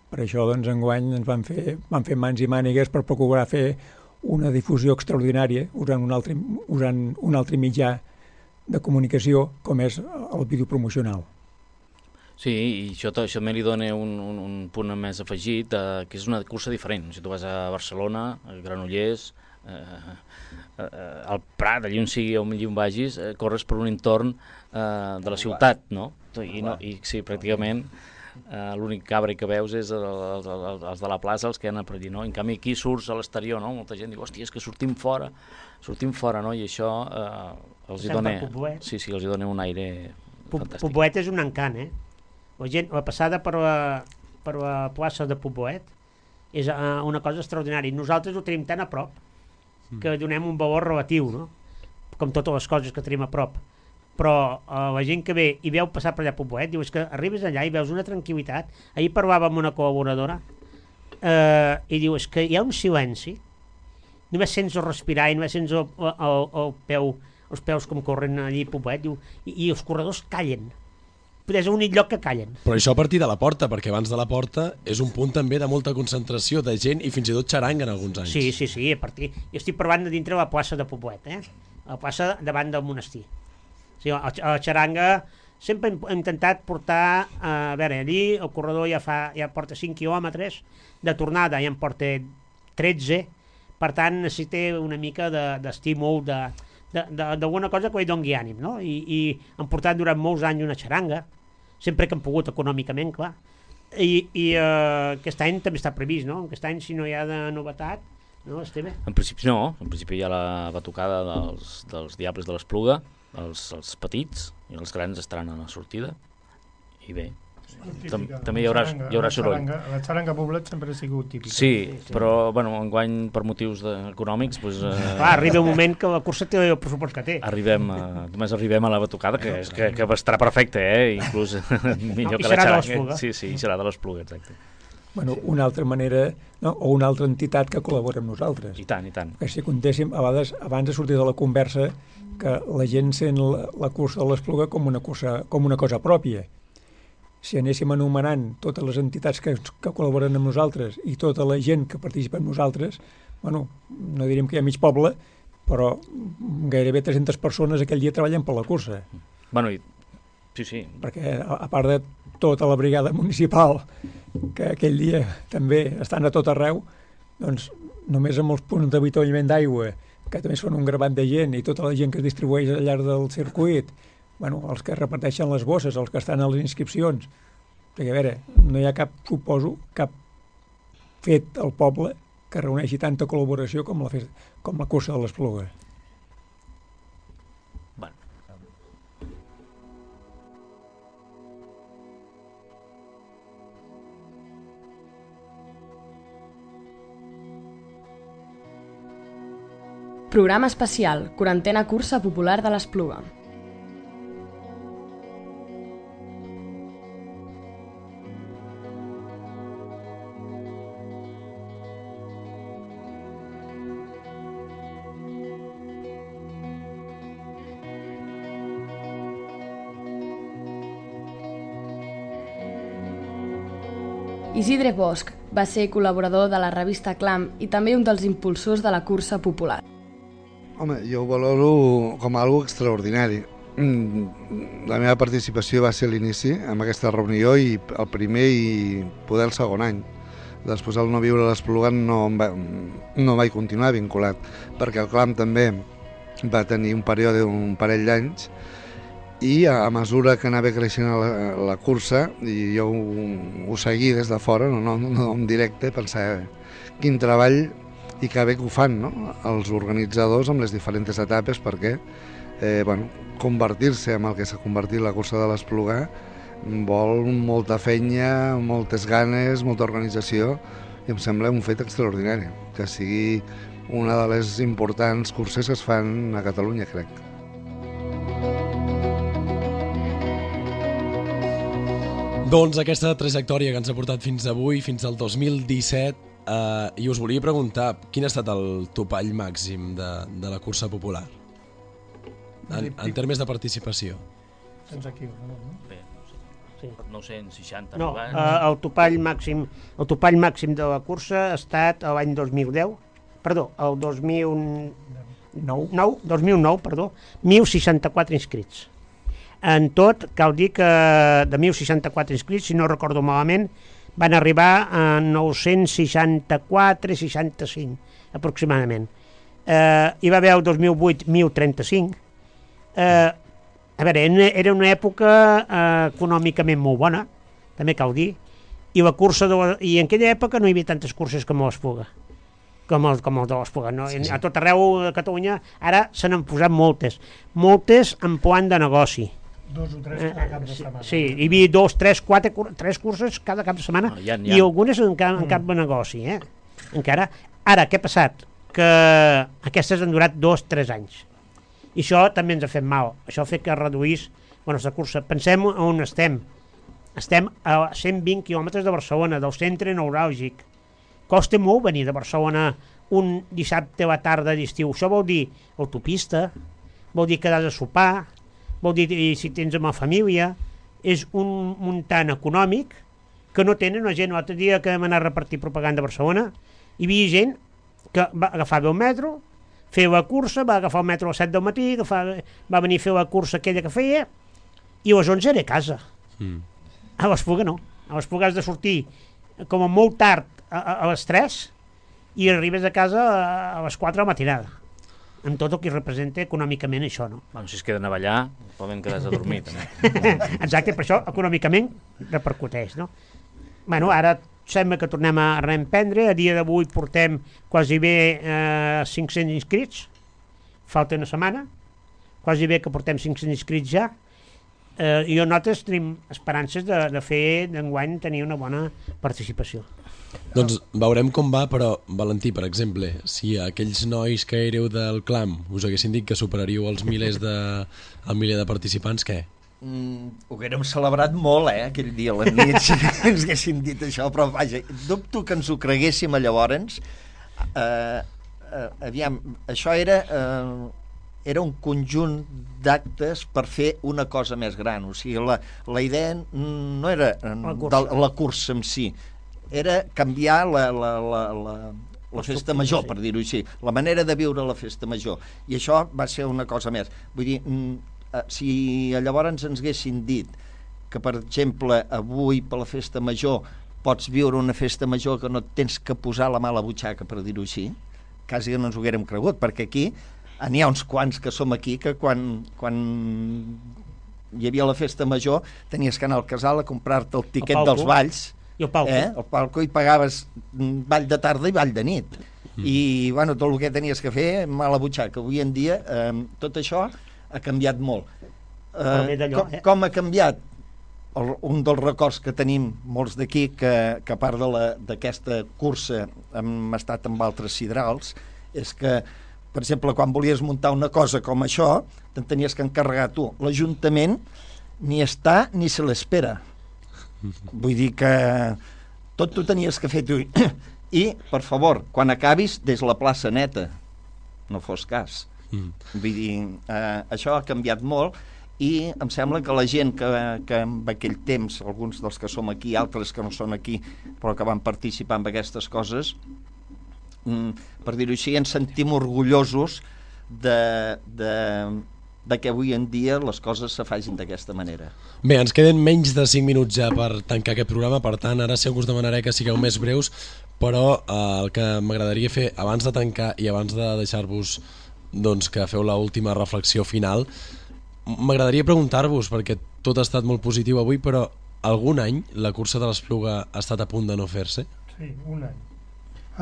Per això, doncs, enguany ens van fer, van fer mans i mànigues per procurar fer una difusió extraordinària usant un altre, usant un altre mitjà de comunicació com és el vídeo promocional. Sí, i això, això també li dona un, un, un punt més afegit, eh, que és una cursa diferent. Si tu vas a Barcelona, a Granollers, eh, eh, al Prat, allà on sigui, on vagis, eh, corres per un entorn eh, de la ciutat, no? I, no, i sí, pràcticament eh, l'únic cabre que veus és el, el, el, els de la plaça, els que han per allí, no? En canvi aquí surts a l'exterior, no? Molta gent diu, hòstia, és que sortim fora, sortim fora, no? I això eh, els, hi dona, sí, sí, els hi dona un aire fantàstic. Poblet és un encant, eh? La gent, la passada per la, per la plaça de Poblet és uh, una cosa extraordinària. Nosaltres ho tenim tan a prop que donem un valor relatiu, no? Com totes les coses que tenim a prop. Però uh, la gent que ve i veu passar per allà a Poblet, diu, és que arribes allà i veus una tranquil·litat. Ahir parlava amb una col·laboradora uh, i diu, és que hi ha un silenci, només sents el respirar i només sents el, el, el peu, els peus com corren allà a Poblet, diu, i, i els corredors callen. És l'únic lloc que callen. Però això a partir de la porta, perquè abans de la porta és un punt també de molta concentració de gent i fins i tot xaranga en alguns anys. Sí, sí, sí, a partir... Jo estic parlant de dintre la plaça de Poblet, eh? La plaça davant del monestir. O sigui, a la xaranga sempre hem, hem intentat portar, eh, a veure, allí el corredor ja, fa, ja porta cinc quilòmetres, de tornada ja en porta tretze, per tant necessita una mica d'estímul, de, d'alguna cosa que li doni ànim, no? I, i han portat durant molts anys una xaranga, sempre que han pogut econòmicament, clar, i, i uh, aquest any també està previst, no? Aquest any, si no hi ha de novetat, no, Esteve? En principi no, en principi hi ha la batucada dels, dels Diables de l'Espluga, els, els petits i els grans estaran a la sortida, i bé, Tam, també hi haurà, hi haurà soroll. La xaranga Poblet sempre ha sigut típica. Sí, però bueno, enguany per motius de, econòmics pues, eh, clar, arriba un moment que la cursa té el pressupost que té. Arribem a, només arribem a la batucada, que, és, que, que estarà perfecte, eh? Inclús millor no, que la xaranga. Sí, sí, serà de l'Espluga, exacte. bueno, una altra manera, no? O una altra entitat que col·labora amb nosaltres. I tant, i tant. Que si contéssim, a vegades, abans de sortir de la conversa, que la gent sent la, la cursa de l'Espluga com una cursa, com una cosa pròpia. Si anéssim anomenant totes les entitats que, que col·laboren amb nosaltres i tota la gent que participa amb nosaltres, bueno, no diríem que hi ha mig poble, però gairebé tres-centes persones aquell dia treballen per la cursa. Bueno, i... sí, sí. Perquè, a, a part de tota la brigada municipal, que aquell dia també estan a tot arreu, doncs només amb els punts d'avituallament d'aigua, que també són un gravat de gent, i tota la gent que es distribueix al llarg del circuit, bueno, els que reparteixen les bosses, els que estan a les inscripcions, perquè a veure, no hi ha cap, suposo, cap fet al poble que reuneixi tanta col·laboració com la, festa, com la cursa de l'Espluga. Bueno. Programa especial, quarantena cursa popular de l'Espluga. Isidre Bosch va ser col·laborador de la revista Clam i també un dels impulsors de la cursa popular. Home, jo ho valoro com a algo extraordinari. La meva participació va ser a l'inici, amb aquesta reunió, i el primer i poder el segon any. Després, al no viure a l'Espluga, no, va, no vaig continuar vinculat, perquè el Clam també va tenir un període d'un parell d'anys, i a mesura que anava creixent la, la cursa, i jo ho, ho seguí des de fora, no, no, no en directe, pensava quin treball i que bé que ho fan, no? Els organitzadors amb les diferents etapes, perquè eh, bueno, convertir-se en el que s'ha convertit la cursa de l'Espluga vol molta feina, moltes ganes, molta organització, i em sembla un fet extraordinari, que sigui una de les importants curses que es fan a Catalunya, crec. Doncs aquesta trajectòria que ens ha portat fins avui, fins al dos mil disset, eh, i us volia preguntar, quin ha estat el topall màxim de, de la cursa popular? En, en termes de participació. Tens aquí, no? Bé, no sé. Sí. nou-cents seixanta. No, eh, el topall màxim, el topall màxim de la cursa ha estat l'any dos mil deu, perdó, el dos mil nou, nou, dos mil nou, perdó, mil seixanta-quatre inscrits. En tot, cal dir que de mil seixanta-quatre inscrits, si no recordo malament, van arribar a nou-cents seixanta-quatre seixanta-cinc aproximadament. Eh, hi va haver el dos mil vuit mil trenta-cinc. Eh, a veure, era una època eh, econòmicament molt bona, també cal dir, i la cursa de la, i en aquella època no hi havia tantes curses com a l'Espluga, com el, com el de l'Espluga. No? Sí, sí. A tot arreu de Catalunya ara se n'han posat moltes, moltes en plan de negoci. Dos o tres cada cap de setmana. Sí, hi havia dos, tres, quatre, tres curses cada cap de setmana, no, ja, ja. I algunes en, cap, en cap de negoci, eh? Encara. Ara, què ha passat? Que aquestes han durat dos, tres anys. I això també ens ha fet mal. Això ha fet que reduís la nostra cursa. Pensem on estem. Estem a cent vint quilòmetres de Barcelona, del centre neuràlgic. Costa molt venir de Barcelona un dissabte a la tarda d'estiu. Això vol dir autopista, vol dir quedar a sopar, vol dir, si tens amb la família, és un muntant econòmic que no tenen la gent. L'altre dia que vam anar a repartir propaganda a Barcelona, hi havia gent que va agafar el metro, fer la cursa, va agafar el metro a les set del matí, agafar, va venir a fer la cursa aquella que feia, i a les onze era a casa. Mm. A l'Espluga no. A l'Espluga has de sortir com a molt tard a, a, a les tres i arribes a casa a, a les quatre de la matinada. Amb tot el que representa econòmicament això, no? Bueno, si es queden a ballar, poden quedar-se a dormir, també. Exacte, per això econòmicament repercuteix, no? Bueno, ara sembla que tornem a reemprendre. A dia d'avui portem quasi bé eh, cinc-cents inscrits. Falta una setmana. Quasi bé que portem cinc-cents inscrits ja. Eh, I nosaltres tenim esperances de, de fer d'enguany tenir una bona participació. Doncs veurem com va, però, Valentí, per exemple, si aquells nois que éreu del Clam us haguessin dit que superaríeu els milers de, el miler de participants, què? Mm, ho haguérem celebrat molt, eh, aquell dia a la nit, si ens haguessin dit això, però vaja, dubto que ens ho creguéssim llavors. Eh, eh, aviam, això era, eh, era un conjunt d'actes per fer una cosa més gran, o sigui, la, la idea no era la cursa. De la cursa en si, era canviar la, la, la, la, la festa major, per dir-ho així, la manera de viure la festa major, i això va ser una cosa més. Vull dir, si llavors ens haguessin dit que, per exemple, avui per la festa major pots viure una festa major que no et tens que posar la mà a la butxaca, per dir-ho així, quasi no ens ho haguérem cregut, perquè aquí n'hi ha uns quants que som aquí que quan, quan hi havia la festa major tenies que anar al casal a comprar-te el tiquet el dels balls, i el palco. Eh? el palco, i pagaves ball de tarda i ball de nit. Mm. I bueno, tot el que tenies que fer, mà a la butxaca. Avui en dia eh, tot això ha canviat molt. Eh, com, eh? com ha canviat? El, un dels records que tenim molts d'aquí, que, que a part d'aquesta cursa hem estat amb altres sidrals, és que, per exemple, quan volies muntar una cosa com això, te'n tenies que encarregar tu. L'Ajuntament ni està ni se l'espera. Vull dir que tot t'ho tenies que fer tu. I, per favor, quan acabis, des la plaça neta. No fos cas. Mm. Vull dir, eh, això ha canviat molt, i em sembla que la gent que, que en aquell temps, alguns dels que som aquí, altres que no són aquí, però que van participar en aquestes coses, mm, per dir-ho així, ens sentim orgullosos de, de, de que avui en dia les coses se facin d'aquesta manera. Bé, ens queden menys de cinc minuts ja per tancar aquest programa, per tant, ara sí que us demanaré que sigueu més breus, però eh, el que m'agradaria fer abans de tancar i abans de deixar-vos doncs, que feu l'última reflexió final, m'agradaria preguntar-vos, perquè tot ha estat molt positiu avui, però algun any la cursa de l'Espluga ha estat a punt de no fer-se? Sí, un any.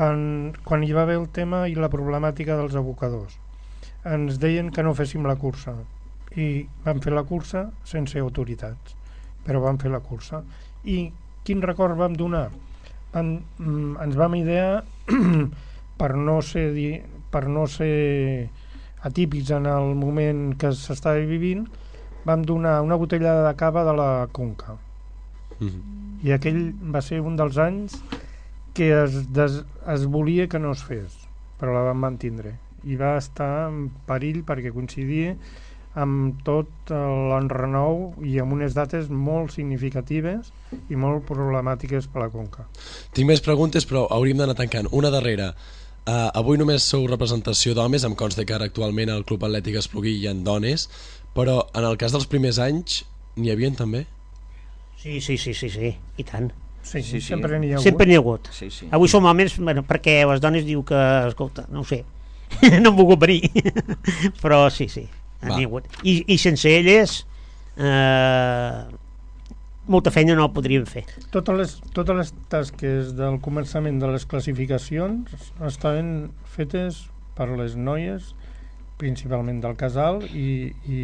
En, quan hi va haver el tema i la problemàtica dels abocadors, ens deien que no féssim la cursa, i vam fer la cursa sense autoritats, però vam fer la cursa. I quin record vam donar? En, ens vam idear per no ser, per no ser atípics en el moment que s'estava vivint, vam donar una botellada de cava de la Conca. Mm-hmm. I aquell va ser un dels anys que es, des, es volia que no es fes, però la vam mantindre. I va estar en perill perquè coincidia amb tot l'enrenou i amb unes dates molt significatives i molt problemàtiques per la Conca. Tinc més preguntes, però hauríem d'anar tancant. Una darrera. Uh, avui només sou representació d'homes, em consta que ara actualment al Club Atlètic Espluguí hi ha dones, però en el cas dels primers anys n'hi havien també? Sí, sí, sí, sí, sí. I tant. Sí, sí, sí. Sempre n'hi ha hagut. Sempre n'hi ha hagut. Sí, sí. Avui som homes, bueno, perquè les dones diu que, escolta, no ho sé, no han volgut venir, però sí, sí, n'hi ha hagut. I, i sense elles eh, molta feina no la podríem fer. Totes les, totes les tasques del començament de les classificacions estaven fetes per les noies, principalment del casal, i, i,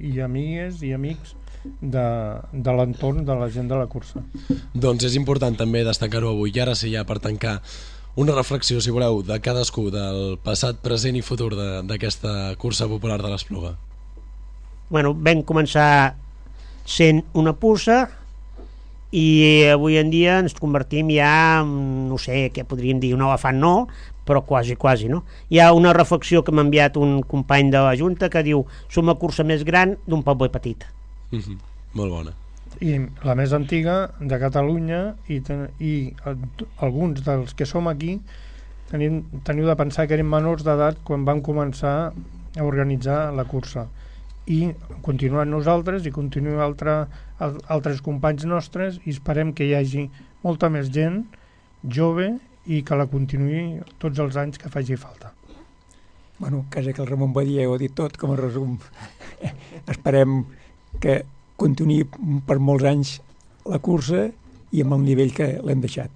i amigues i amics de, de l'entorn de la gent de la cursa. Doncs és important també destacar-ho avui. I ara sí, ja per tancar, una reflexió, si voleu, de cadascú, del passat, present i futur d'aquesta cursa popular de l'Espluga. Bueno, vam començar sent una puça i avui en dia ens convertim ja en, no sé què podríem dir, un elefant no, però quasi, quasi, no? Hi ha una reflexió que m'ha enviat un company de la Junta que diu: som la cursa més gran d'un poble petit. Mm-hmm. Molt bona. I la més antiga de Catalunya, i, ten, i alguns dels que som aquí tenim, teniu de pensar que eren menors d'edat quan vam començar a organitzar la cursa, i continuem nosaltres i continuem altre, altres companys nostres, i esperem que hi hagi molta més gent jove i que la continuï tots els anys que faci falta. Bueno, quasi que el Ramon Badia ho ha dit tot com a resum. Esperem que continuï per molts anys la cursa i amb el nivell que l'hem deixat.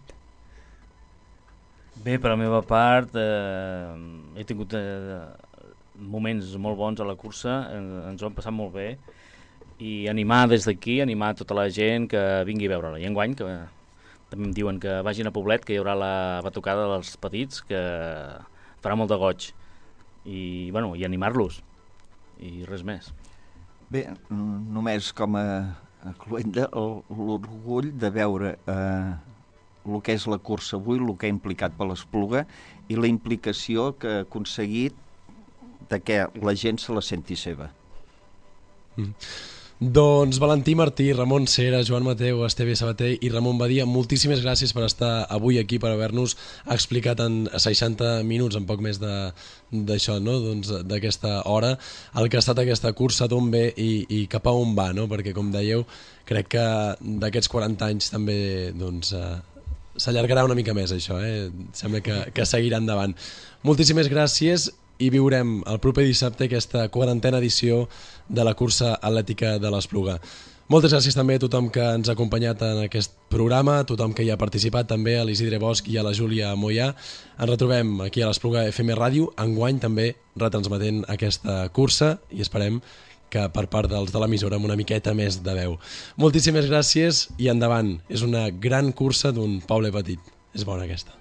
Bé, per la meva part, eh, he tingut eh, moments molt bons a la cursa, eh, ens ho hem passat molt bé, i animar des d'aquí, animar tota la gent que vingui a veure-la. I enguany, que també em diuen que vagin a Poblet, que hi haurà la batucada dels petits, que farà molt de goig. I, bueno, i animar-los. I res més. Bé, només com a, a cluenda l'orgull de veure eh, el que és la cursa avui, el que ha implicat per l'Espluga i la implicació que ha aconseguit de que la gent se la senti seva. Mm. Doncs Valentí Martí, Ramon Cera, Joan Mateu, Esteve Sabater i Ramon Badia, moltíssimes gràcies per estar avui aquí, per haver-nos explicat en seixanta minuts, en poc més d'això, no? Doncs d'aquesta hora, el que ha estat aquesta cursa, d'on ve i, i cap a on va, no? Perquè, com dèieu, crec que d'aquests quaranta anys també doncs, eh, s'allargarà una mica més això, eh? Sembla que, que seguirà endavant. Moltíssimes gràcies i viurem el proper dissabte aquesta quarantena edició de la cursa atlètica de l'Espluga. Moltes gràcies també a tothom que ens ha acompanyat en aquest programa, a tothom que hi ha participat, també a l'Isidre Bosch i a la Júlia Moyà. Ens retrobem aquí a l'Espluga F M Ràdio, enguany també retransmetent aquesta cursa i esperem que per part dels de l'emissora amb una miqueta més de veu. Moltíssimes gràcies i endavant. És una gran cursa d'un poble petit. És bona aquesta.